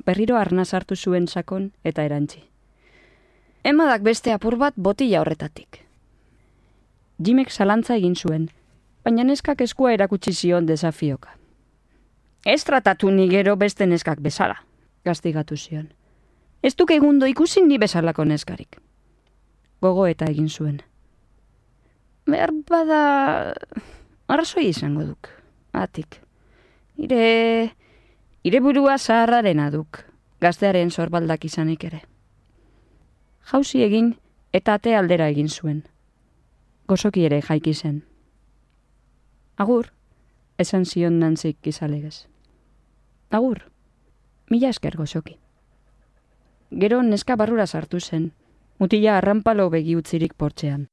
Berriro arnaz hartu zuen sakon eta erantzi. Emadak beste apur bat botila horretatik. Jimek zalantza egin zuen, baina neskak eskua erakutsi zion desafioka. Ez tratatu ni gero beste neskak bezala, gaztigatu zion. Ez duk egundo ikusi ni bezalako neskarik. Gogo eta egin zuen. Behar bada arrazoi izango duk, atik. Ire, ire burua zaharrarena duk, gaztearen zorbaldak izanik ere. Jauzi egin eta ate aldera egin zuen. Gozoki ere jaiki zen. Agur, esan zion Nantzik gizalegez. Agur, mila esker gozoki. Gero neska barrura sartu zen, mutila arranpalo begi utzirik portzean.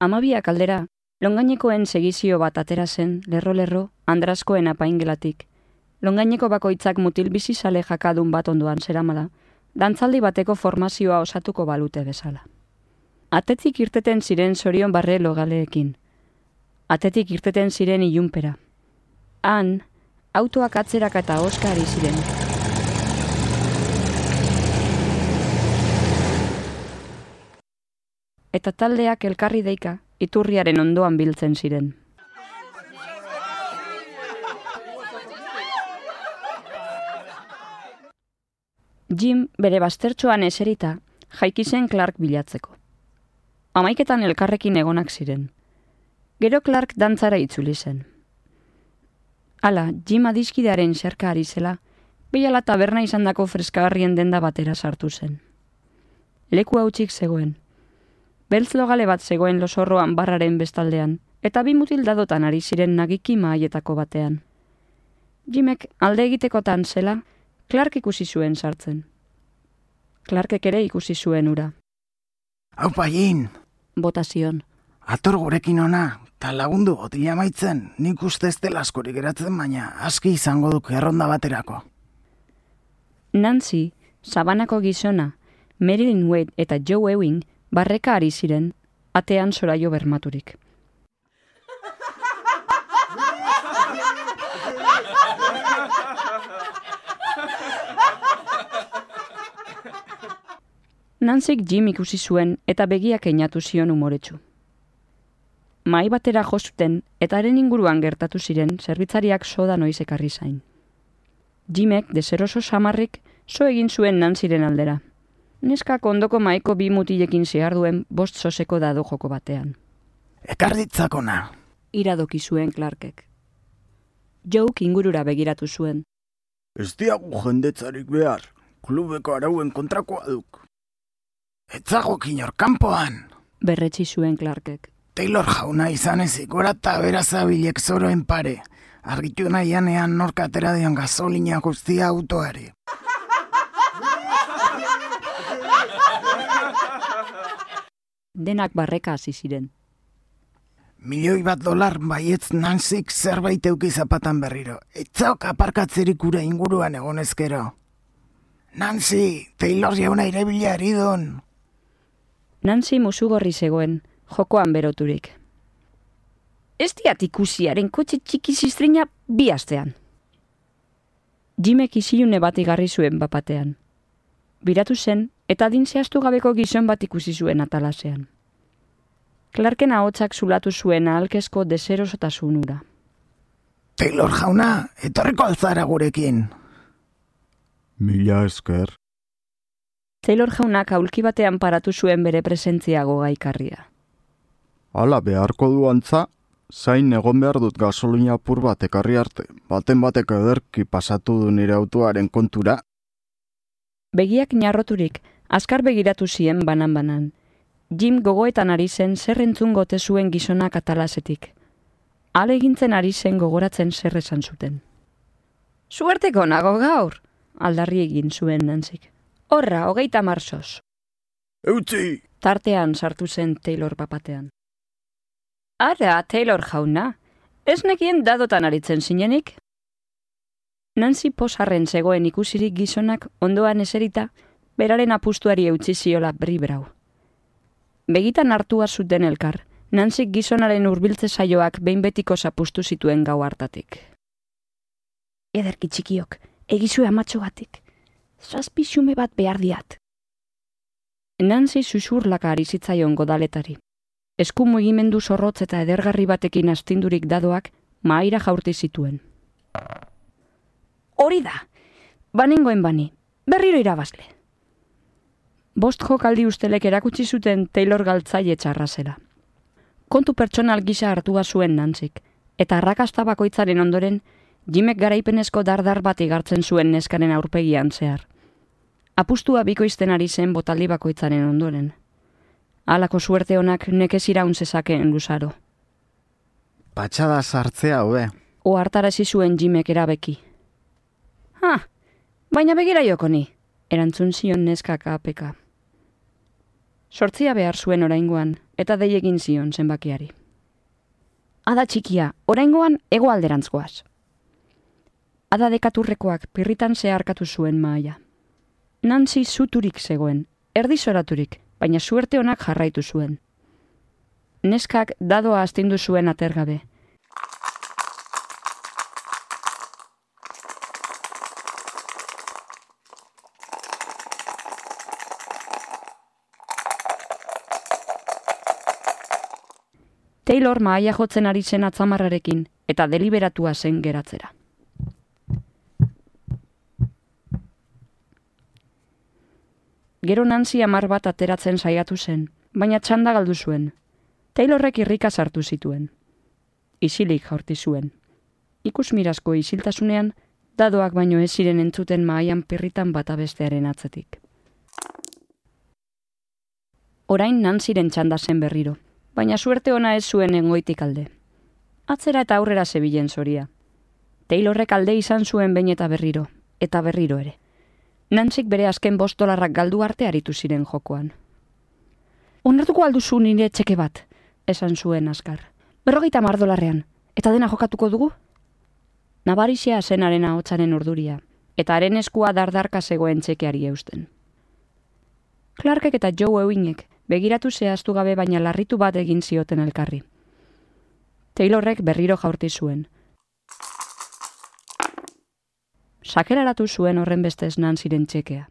Amabiak aldera, longainekoen segizio bat atera zen, lerro-lerro, Andraskoen apaingelatik. Longaineko bakoitzak mutil bizizale jakadun bat ondoan zeramala, dantzaldi bateko formazioa osatuko balute bezala. Atetik irteten ziren zorion barre logaleekin. Atetik irteten ziren ilunpera. Han, autoak atzerak eta oska ari ziren. Eta taldeak elkarri deika, iturriaren ondoan biltzen ziren. Jim bere baztertxoan eserita, jaiki zen Clark bilatzeko. Hamaiketan elkarrekin egonak ziren. Gero Clark dantzara itzuli zen. Hala, Jim adiskidearen xerka ari zela, bilala taberna izandako freskagarrien denda batera sartu zen. Leku hautsik zegoen. Beltz logale bat zegoen losorroan barraren bestaldean, eta bi mutil dadotan ari ziren nagiki mahaietako batean. Jimek alde egitekotan zela, Clark ikusi zuen sartzen. Clarkek ere ikusi zuen ura. Aupa, Jin! Bota zion. Ator gurekin ona, ta lagundu botila maitzen, nik uste ez dela askorik geratzen, baina aski izango duk erronda baterako. Nancy, Sabanako gizona, Marilyn Wade eta Joe Ewing barreka ari ziren, atean soraio bermaturik. Nancyk Jim ikusi zuen eta begiak einatu zion umoretsu. Mahai batera jo zuten eta haren inguruan gertatu ziren zerbitzariak soda noiz ekarri zain. Jimek deseroso samarrik so egin zuen Nancyren aldera. Neskak ondoko mahaiko bi mutilekin ziharduen bost soseko dado joko batean. Ekarditzakona! Iradoki zuen Clarkek. Jouk ingurura begiratu zuen. Ez diagu jendetzarik behar, klubeko arauen kontrakoa duk. Etzagokin hor kanpoan! Berretsi zuen Clarkek. Taylor jauna izan ezik, gora eta berazabilek zoroen pare. Argitu nahianean norka atera dion gasolina guztia autoari. Denak barreka hasi ziren. Milioi bat dolar baietz Nancyk zerbait euki zapatan berriro. Etzaok aparkatzerik ura inguruan egonezkero. Nancy, Taylor jauna irebila eridon. Nancy musugorri zegoen, jokoan beroturik. Ez diat ikusiaren kotxe txiki ziztrina bi astean. Jimek isilune bat igarri zuen bapatean. Biratu zen, eta adin zehaztu gabeko gizon bat ikusi zuen atalasean. Clarken ahotsak zulatu zuen ahalkezko deserosotasun ura. Taylor jauna, etorriko altzara gurekin. Mila esker. Taylor jaunak aulki batean paratu zuen bere presentzia gogaikarria. Hala beharko du antza, zain egon behar dut gasolina apur bat ekarri arte, baten batek ederki pasatu du nire autoaren kontura. Begiak narroturik, azkar begiratu zien banan-banan. Jim gogoetan ari zen zer entzun gote zuen gizonak atalasetik. Ale egintzen ari zen gogoratzen zer esan zuten. Suerteko nago gaur, aldarri egin zuen Nancyk. Horra, hogeita marzoz. Eutzi! Tartean sartu zen Taylor papatean. Ara, Taylor jauna, ez nekien dadotan aritzen zinenik? Nancy posarren zegoen ikusirik gizonak ondoan eserita, beraren apustuari eutzi ziola bribrau. Begitan hartua zuten elkar, Nancy gizonaren hurbiltze saioak behin betiko zapustu zituen gau hartatik. Ederki txikiok, egizue amatxogatik. Zazpi xume bat behar diat. Nancy susurlaka ari zitzaion godaletari. Esku mugimendu zorrotz eta edergarri batekin astindurik dadoak mahaira jaurti zituen. Hori da! Banengoen bani, berriro irabazle. Bost jokaldi ustelek erakutsi zuten Taylor galtzaile txarra zela. Kontu pertsonal gisa hartua zuen Nancyk, eta arrakasta bakoitzaren ondoren, Jimek garaipenezko dardar bat igartzen zuen neskaren aurpegian zehar. Apustua bikoizten ari zen botaldi bakoitzaren ondoren. Halako suerte honak nekez iraun zezakeen luzaro. Patxada sartzea hobe. Ohartarazi zuen Jimek erabeki. Ha, baina begira joko ni, erantzun zion neskak apeka. Sortzia behar zuen oraingoan, eta dei egin zion zenbakiari. Ada txikia, oraingoan hego alderantzkoaz. Ada dekaturrekoak pirritan zeharkatu zuen mahaia. Nancy zuturik zegoen, erdizoraturik, baina suerte honak jarraitu zuen. Neskak dadoa astindu zuen atergabe. Taylor mahaia jotzen ari zen atzamarrarekin, eta deliberatua zen geratzera. Gero Nancy hamar bat ateratzen saiatu zen, baina txanda galdu zuen. Taylorrek irrika sartu zituen. Isilik jaurti zuen. Ikusmirazko isiltasunean, dadoak baino ez ziren entzuten mahaian pirritan bata bestearen atzetik. Orain Nancyren txanda zen berriro, baina suerte ona ez zuen engoitik alde. Atzera eta aurrera zebilen zoria. Taylorrek alde izan zuen behin eta berriro, eta berriro ere. Nancyk bere azken bost dolarrak galdu arte aritu ziren jokoan. Onartuko alduzu nire txeke bat, esan zuen azkar. Berrogeita hamar dolarrean, eta dena jokatuko dugu? Nabarizia zenaren ahotsaren urduria, eta haren eskua dardarka zegoen txekeari eusten. Clarkek eta Joe Ewingek begiratu zehaztu gabe baina larritu bat egin zioten elkarri. Taylorrek berriro jaurti zuen. Sakelaratu zuen horren bestez Nancyren txekea.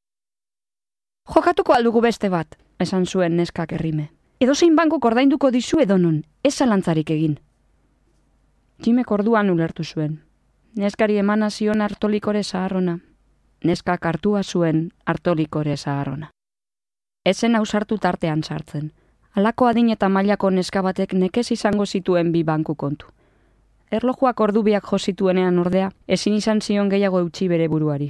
Jokatuko aldugu beste bat, esan zuen neskak errime. Edozein banko ordainduko dizu edonon, ez zalantzarik egin. Jimek orduan ulertu zuen. Neskari emana zion artolikore zaharrona. Neskak hartua zuen artolikore zaharrona. Ezen ausartu tartean sartzen. Halako adin eta mailako neska batek nekez izango zituen bi banku kontu. Erlojuak ordubiak jo zituenean ordea, ezin izan zion gehiago eutsi bere buruari.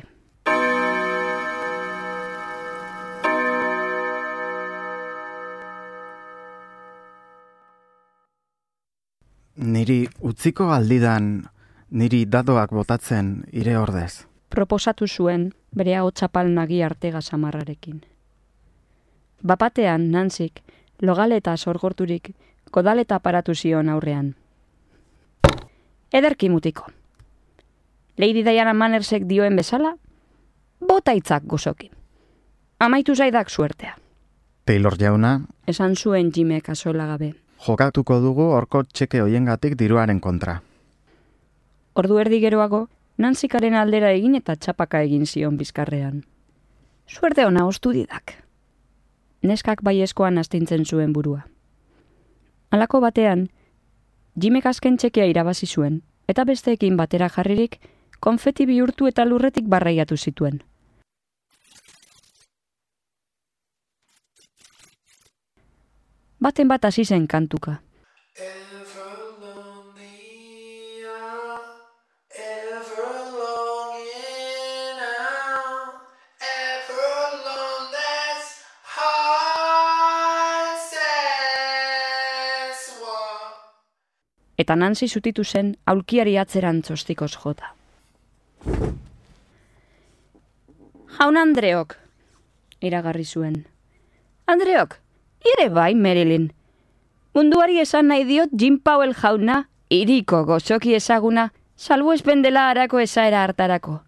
Niri utziko aldidan, niri dadoak botatzen ire ordez. Proposatu zuen bere ahotsapal nagi artega samarrarekin. Bapatean Nancyk, logaleta sorgorturik, kodaleta aparatu zion aurrean. Ederki mutiko. Lady Diana Mannersek dioen bezala, bota hitzak gozoki. Amaitu zaidak suertea. Taylor jauna, esan zuen Jimek azola gabe. Jokatuko dugu horko txeke hoiengatik diruaren kontra. Ordu erdi geroago, Nanzykaren aldera egin eta txapaka egin zion bizkarrean. Suerte ona ostu didak. Neskak baiezkoan astintzen zuen burua. Halako batean, Jimek azken txekea irabazi zuen, eta besteekin batera jarririk, konfeti bihurtu eta lurretik barraiatu zituen. Baten bat hasi zen kantuka. Eta Nancy zutitu zen aulkiari atzeran txostikoz jota. Jaun Andreok, iragarri zuen. Andreok, ire bai, Marilyn. Munduari esan nahi diot Jim Powell jauna, iriko gozoki ezaguna, salbuespen dela harako esaera hartarako.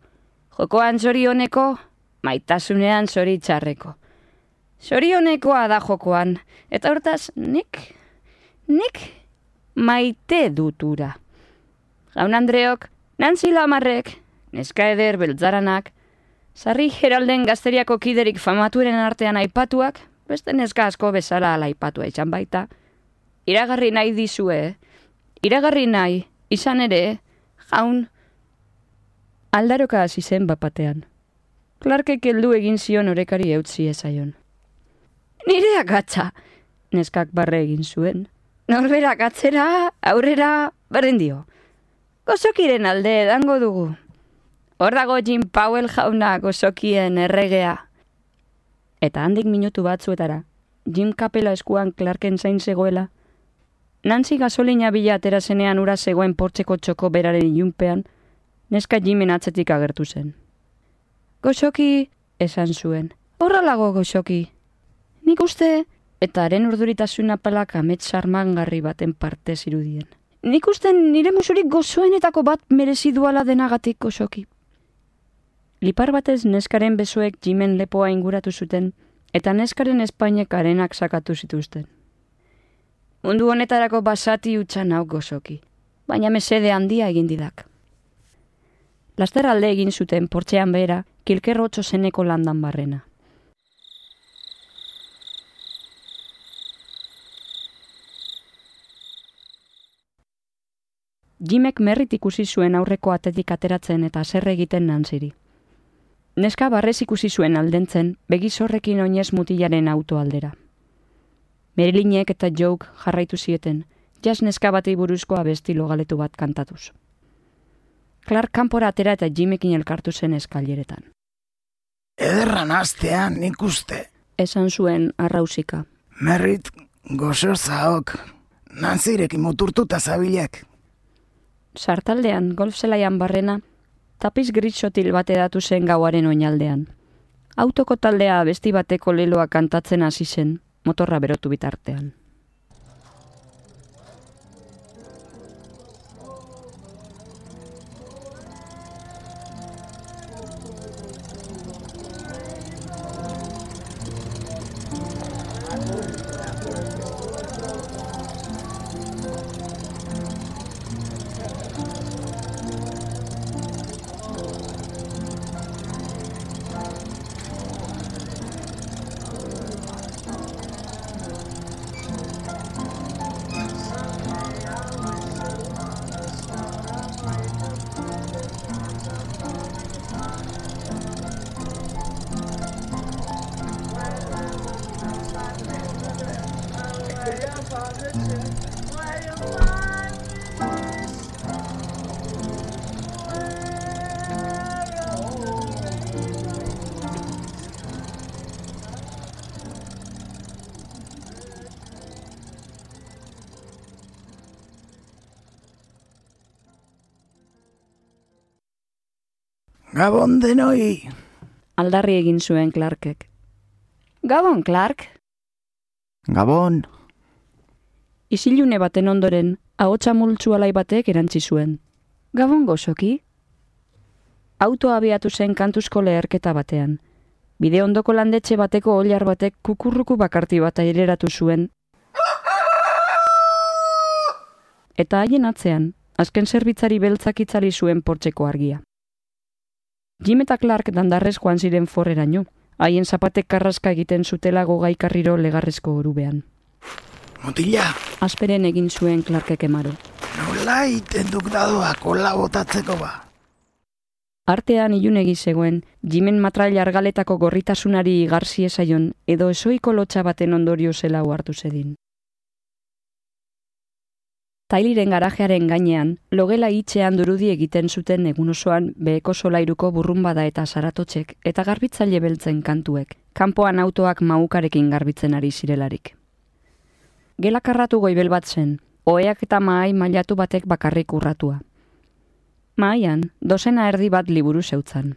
Jokoan zorioneko, maitasunean zoritxarreko. Zorionekoa da jokoan, eta hortaz, nik, nik maite dutura. Jaun Andreok, Nancy Lamarrek, neska eder beltzaranak, sarri Heralden gazteriako kiderik famaturen artean aipatuak, beste neska asko bezala ala aipatua izan baita. Iragarri nahi dizue, iragarri nahi, izan ere, jaun, aldaroka hasi zen bapatean. Clarkek heldu egin zion orekari eutzi ezaion. Nire agatza, neskak barre egin zuen. Norberak atzera, aurrera, berdin dio. Gozokiren alde edango dugu. Hor dago Jim Powell jauna gozokien erregea. Eta handik minutu batzuetara, Jim kapela eskuan Clarken zain zegoela, Nancy gasolina bila atera zenean ura zegoen portzeko txoko beraren ilunpean, neska Jimen atzetik agertu zen. Gozoki, esan zuen. Horrelago gozoki. Nik uste, eta haren urduritasuna palak amets armangarri baten parte zirudien. Nik uste nire musurik gozoenetako bat merezi duala denagatik gozoki. Lipar batez neskaren besoek Jimen lepoa inguratu zuten, eta neskaren espainek arenak sakatu zituzten. Mundu honetarako basati utxan hau gozoki, baina mesede handia egin didak. Laster alde egin zuten portxean behera, kilkerrotxo zeneko landan barrena. Jimek merrit ikusi zuen aurreko atetik ateratzen eta zerre egiten Nancyri. Neska barrez ikusi zuen aldentzen, begizorrekin oinez mutilaren auto aldera. Marilynek eta Joke jarraitu zieten, jazz neska batei buruzko abesti logaletu bat kantatuz. Clark kanpora atera eta Jimekin elkartu zen eskaileretan. Ederran astean nik uste. Esan zuen arrausika. Merrit gozo zaok, Nancyrekin muturtuta zabilek. Sartaldean, golf zelaian barrena, tapiz gritsotil bat edatu zen gauaren oinaldean. Autoko taldea abesti bateko leloa kantatzen hasi zen, motorra berotu bitartean. Gabon denoi! Aldarri egin zuen Clarkek. Gabon, Clark! Gabon! Isilune baten ondoren, ahotsa multzu alai batek erantzi zuen. Gabon gozoki? Autoa abiatu zen kantuzko leherketa batean. Bide ondoko landetxe bateko oilar batek kukurruku bakarti bat aireratu zuen. Eta haien atzean, azken zerbitzari beltzak itzali zuen portzeko argia. Jim eta Clark dandarrez joan ziren forreraino, haien zapatek karraska egiten zutela gogaikarriro legarrezko orubean. Mutila! Asperen egin zuen Clarkek emaro. Nola iten duk dadoa kola botatzeko ba? Artean ilunegi zegoen, Jimen matrail argaletako gorritasunari igarzi ezaion edo esoiko lotxa baten ondorio zela hartu zedin. Tyliren garajearen gainean, logela hitzean durudi egiten zuten egun osoan beheko solairuko burrunbada eta saratotxek eta garbitzaile beltzen kantuek, kanpoan autoak maukarekin garbitzen ari zirelarik. Gelakarratu goibel bat zen, oheak eta mahai mailatu batek bakarrik urratua. Mahaian, dozena erdi bat liburu zeutzan.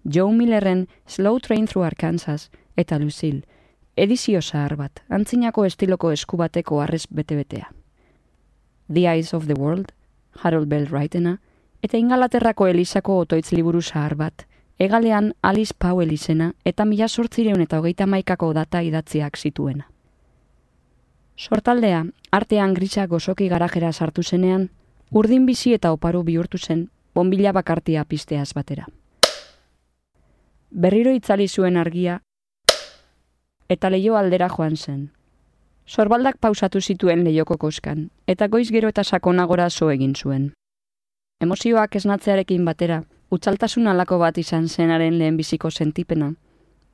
Joe Millerren Slow Train Through Arkansas eta Lucille, edizio zahar bat, antzinako estiloko esku bateko arrez bete-betea. The Eyes of the World, Harold Bell Wrightena, eta Ingalaterrako Elisako otoitz liburu zahar bat, egalean Alice Powell izena eta mila sortzireun eta hogeita maikako data idatziak zituena. Sortaldea, artean grisa gozoki garajera sartu zenean, urdin bizi eta oparu bihurtu zen, bonbila bakartia pisteaz batera. Berriro itzali zuen argia, eta leio aldera joan zen. Sorbaldak pausatu zituen leioko koskan, eta goiz gero eta sakonagora zo egin zuen. Emozioak esnatzearekin batera, utzaltasun alako bat izan zenaren lehenbiziko sentipena,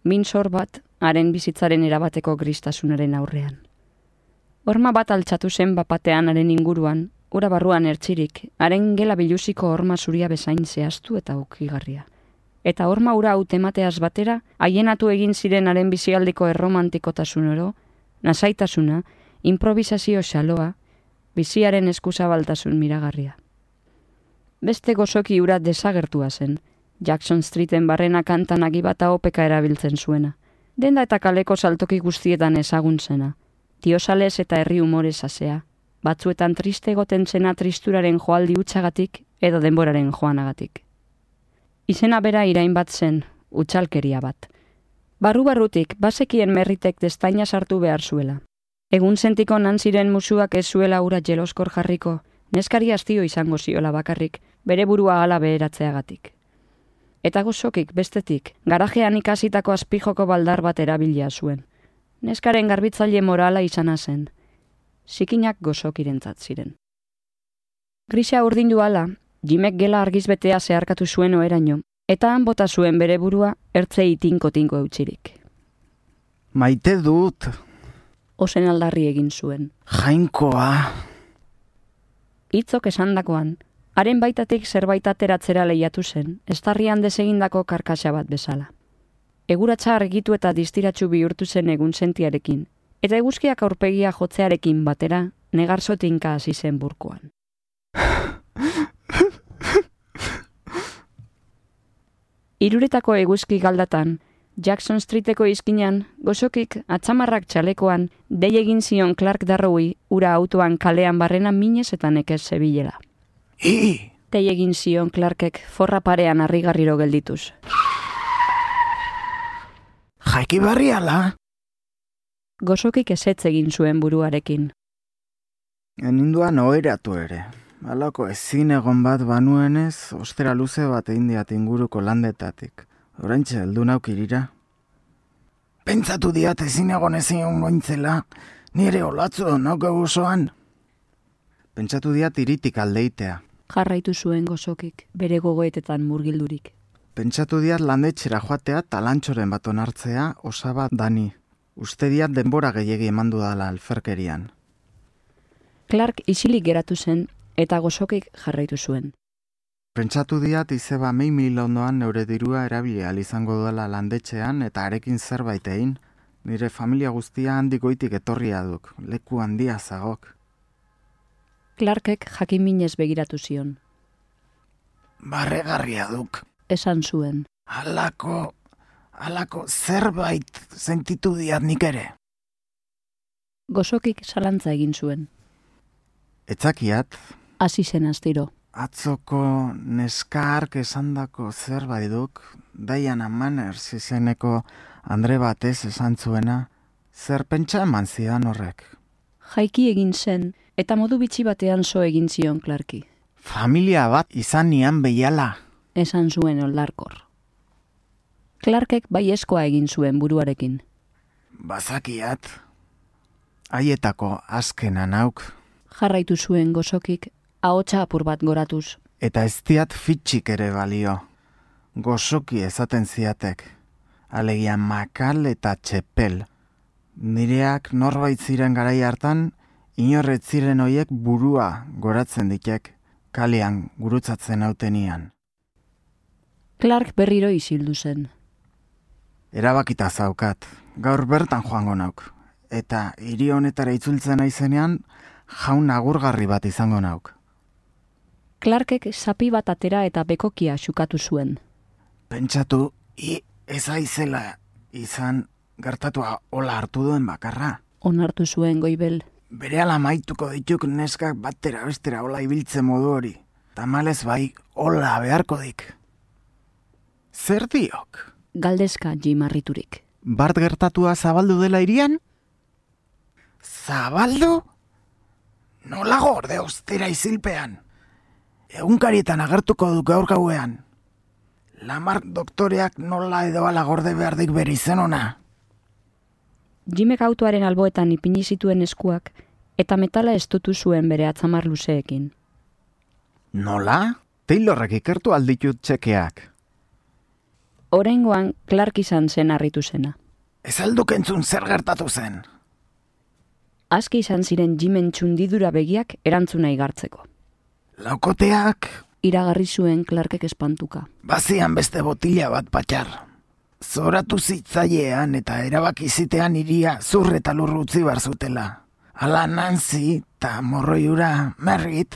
min sor bat, haren bizitzaren erabateko gristasunaren aurrean. Horma bat altxatu zen bapatean haren inguruan, ura barruan ertzirik, haren gela bilusiko horma zuria bezain zehaztu eta ukigarria. Eta horma ura hautemateaz batera, haienatu egin ziren haren bizialdiko erromantikotasun oro, nasaitasuna, improvisazio xaloa, biziaren eskuzabaltasun miragarria. Beste gozoki ura desagertua zen, Jackson Streeten barrena kantan agibata opeka erabiltzen zuena. Denda eta kaleko saltoki guztietan ezagun zena. Tiosales eta herri umorez asea, batzuetan triste egoten zena tristuraren joaldi utxagatik edo denboraren joanagatik. Izena bera irain bat zen, utxalkeria bat. Barru-barrutik, bazekien merritek destaina sartu behar zuela. Egun sentiko nan ziren musuak ez zuela ura jeloskor jarriko, neskari hastio izango ziola bakarrik, bere burua hala beheratzeagatik. Eta gozokik, bestetik, garajean ikasitako azpijoko baldar bat erabilia zuen. Neskaren garbitzaile morala izana zen. Zikinak gozokirentzat ziren. Grisa urdindu ala, Jimek gela argizbetea zeharkatu zuen oeraino, eta han bota zuen bere burua ertzei tinko-tinko eutxirik. Maite dut. Ozen aldarri egin zuen. Jainkoa. Hitzok esandakoan, haren baitatik zerbait ateratzera lehiatu zen, estarrian desegindako karkasa bat bezala. Eguratsa argitu eta distiratsu bihurtu zen egun sentiarekin, eta eguzkiak aurpegia jotzearekin batera, negarzo tinka hasi zen burkoan. Iruretako eguzki galdatan, Jackson Streeteko izkinan, gozokik atzamarrak txalekoan, dei egin zion Clark Darrowi ura autoan kalean barrena minez eta nekez zebilela. I! Dei egin zion Clarkek forra parean harrigarriro geldituz. Jaiki barriala? Gozokik ezetz egin zuen buruarekin. Eninduan oheratu ere. Halako ezin egon bat banuenez, ostera luze bat egin diat inguruko landetatik. Oraintxe heldu nauk irira. Pentsatu diat ezin egon ezin ongointzela, nire olatzu nauke guzoan. Pentsatu diat iritik aldeitea. Jarraitu zuen gozokik, bere gogoetetan murgildurik. Pentsatu diat landetxera joatea talantxoren bat onartzea osaba dani. Uste diat denbora gehiegi emandu dala alferkerian. Clark isilik geratu zen, eta gozokik jarraitu zuen. Pentsatu diat izeba mei mil ondoan neure dirua erabili ahal izango duela landetxean eta arekin zerbait egin. Nire familia guztia handik goitik etorria duk, leku handia zagok. Clarkek jakin minez begiratu zion. Barregarria duk. Esan zuen. Halako, halako zerbait sentitu diat nik ere. Gozokik zalantza egin zuen. Etzakiat. Hasi zen astiro. Atzoko neskark esandako zerbait duk, Diana Manners izeneko Andre batez esan zuena, zer pentsa eman zidan horrek. Jaiki egin zen, eta modu bitxi batean zo egin zion Clarki. Familia bat izan nian behiala. Esan zuen oldarkor. Clarkek baiezkoa egin zuen buruarekin. Bazakiat. Haietako azkena nauk. Jarraitu zuen gozokik, ahotsa apur bat goratuz. Eta ez diat fitxik ere balio. Gozoki ezaten ziatek. Alegia makal eta txepel. Nireak norbait ziren garai hartan, inorret ziren hoiek burua goratzen ditek, kalean gurutzatzen hautenian. Clark berriro isildu zen. Erabakita zaukat, gaur bertan joango nauk. Eta hiri honetara itzultzen aizenean, jaun agurgarri bat izango nauk. Clarkek sapi bat atera eta bekokia xukatu zuen. Pentsatu I ez aizela izan gertatua hola hartu duen bakarra. Onartu zuen Goibel. Berehala maituko dituk neskak batera bestera hola ibiltze modu hori. Tamalez bai hola beharko dik. Zer diok? Galdezka Jim harriturik. Bart gertatua zabaldu dela irian? Zabaldu? Nola gorde ostera izilpean? Egunkarietan agertuko du gaur gauean. Lamar doktoreak nola edo ala gorde behardik bere izen ona. Jimek autoaren alboetan ipini zituen eskuak eta metala estutu zuen bere atzamar luzeekin. Nola? Taylorrek ikertu alditut txekeak. Oraingoan Clark izan zen harritu zena. Ez alduk entzun zer gertatu zen. Aski izan ziren Jimen txundidura begiak erantzuna igartzeko. Laukoteak... Iragarri zuen Clarkek espantuka. Bazian beste botila bat patxar. Zoratu zitzailean eta erabaki zitean iria zur eta lur utzi bar zutela. Ala Nancy eta morroiura Merrit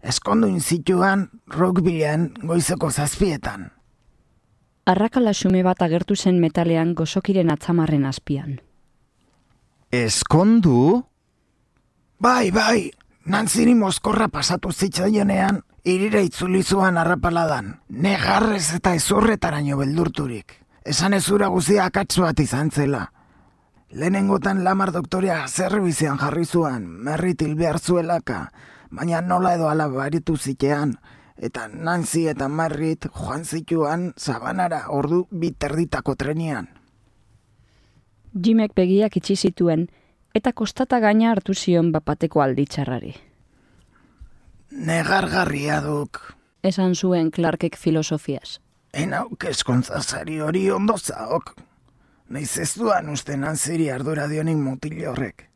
eskonduin zituan Rockvilleen goizeko zazpietan. Arrakala xume bat agertu zen metalean gozokiren atzamarren azpian. Eskondu? Bai, bai, Nancyri mozkorra pasatu zitzaionean irira itzuli zuan arrapaladan, negarrez eta ezurretaraino beldurturik. Esan ezura guzia akats bat izan zela. Lehenengotan Lamar doktorea zerbizian jarri zuan, Merrit hil behar zuelaka, baina nola edo ala baritu zitean, eta Nancy eta Merrit joan zituan Sabanara ordu biterditako trenian. Jimek begiak itxi zituen, eta kostata gaina hartu zion bapateko alditxarrari. Negargarria duk. Esan zuen Clarkek filosofiaz. Enauk eskontzazari hori ondo zaok. Naiz ez duan uste Nancyri ardura dionik mutil horrek.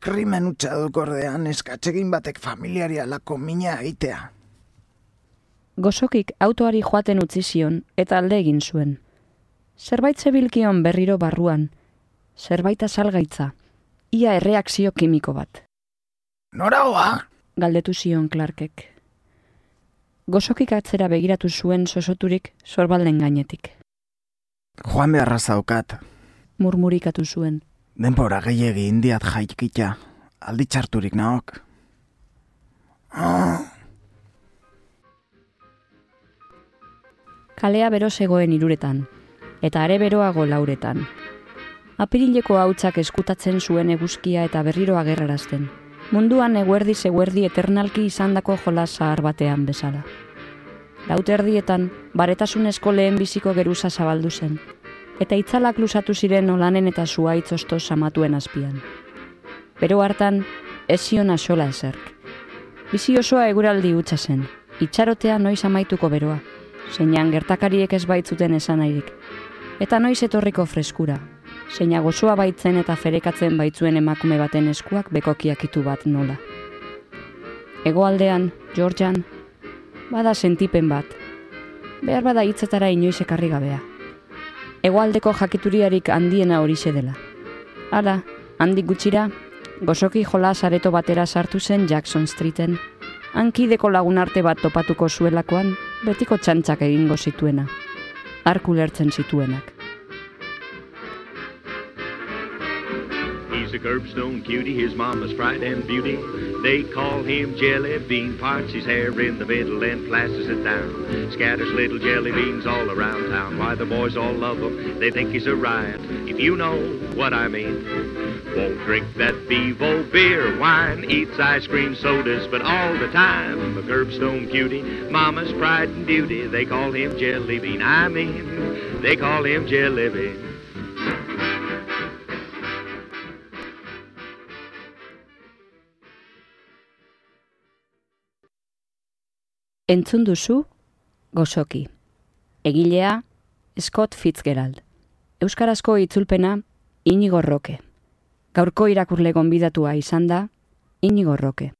Krimen utxaduk ordean eskatxegin batek familiari alako mina egitea. Gozokik autoari joaten utzi zion eta alde egin zuen. Zerbait zebilkion berriro barruan, zerbait azalgaitza, ia erreakzio kimiko bat. Noragoa? Galdetu zion Clarkek. Gozokik atzera begiratu zuen sosoturik sorbalden gainetik. Joan beharra zaukat. Murmurikatu zuen. Denbora gehiegi indiat jaikita, alditxarturik naok. Oh. Kalea bero zegoen iruretan, eta are beroago lauretan. Apirileko hautsak eskutatzen zuen eguzkia eta berriro agerrarazten. Munduan eguerdi zeguerdi eternalki izandako jolas zahar batean bezala. Lauterdietan, baretasunezko lehen biziko geruza zabaldu zen, eta itzalak luzatu ziren olanen eta zuaitz osto samatuen azpian. Bero hartan, ez zion axola ezerk. Bizi osoa eguraldi hutsa zen, itxarotea noiz amaituko beroa, zeinan gertakariek ez baitzuten esanairik, eta noiz etorriko freskura, zeina gozoa baitzen eta ferekatzen baitzuen emakume baten eskuak bekokiakitu bat nola. Hegoaldean, Georgian, bada sentipen bat, behar bada hitzetara inoiz ekarri gabea. Hegoaldeko jakituriarik handiena horixe dela. Hala, handik gutxira, gozoki jolas areto batera sartu zen Jackson Streeten, hankideko lagunarte bat topatuko zuelakoan, betiko txantxak egingo zituena, arku lertzen zituenak. He's a curbstone cutie, his mama's pride and beauty. They call him Jelly Bean, parts his hair in the middle and plasters it down. Scatters little jelly beans all around town. Why the boys all love him, they think he's a riot, if you know what I mean. Won't drink that Bevo beer, wine, eats ice cream sodas, but all the time a curbstone cutie, mama's pride and beauty. They call him Jelly Bean, I mean, they call him Jelly Bean. Entzun duzu, Gozoki. Egilea, Scott Fitzgerald. Euskarazko itzulpena, Inigo Roque. Gaurko irakurle gonbidatua izan da, Inigo Roque.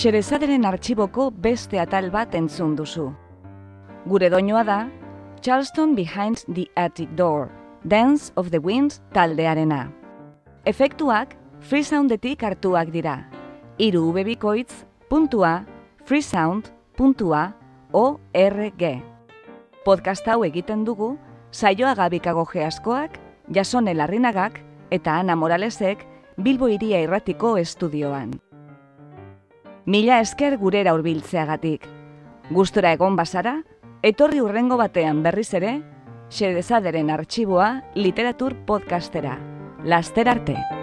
Xerezaderen artxiboko beste atal bat entzun duzu. Gure doinoa da, Charleston Behind the Attic Door, Dance of the Wind taldearena. Efektuak freesoundetik hartuak dira. Hiru ubebikoitz puntua freesound puntua org. Podcast hau egiten dugu Saioa Gabikagoge askoak, Jasone Larrinagak eta Ana Moralesek Bilbo Hiria Irratiko estudioan. Mila esker gurera hurbiltzeagatik. Gustora egon bazara, etorri hurrengo batean berriz ere, Xedezaderen artxiboa literatur podcastera. Laster arte!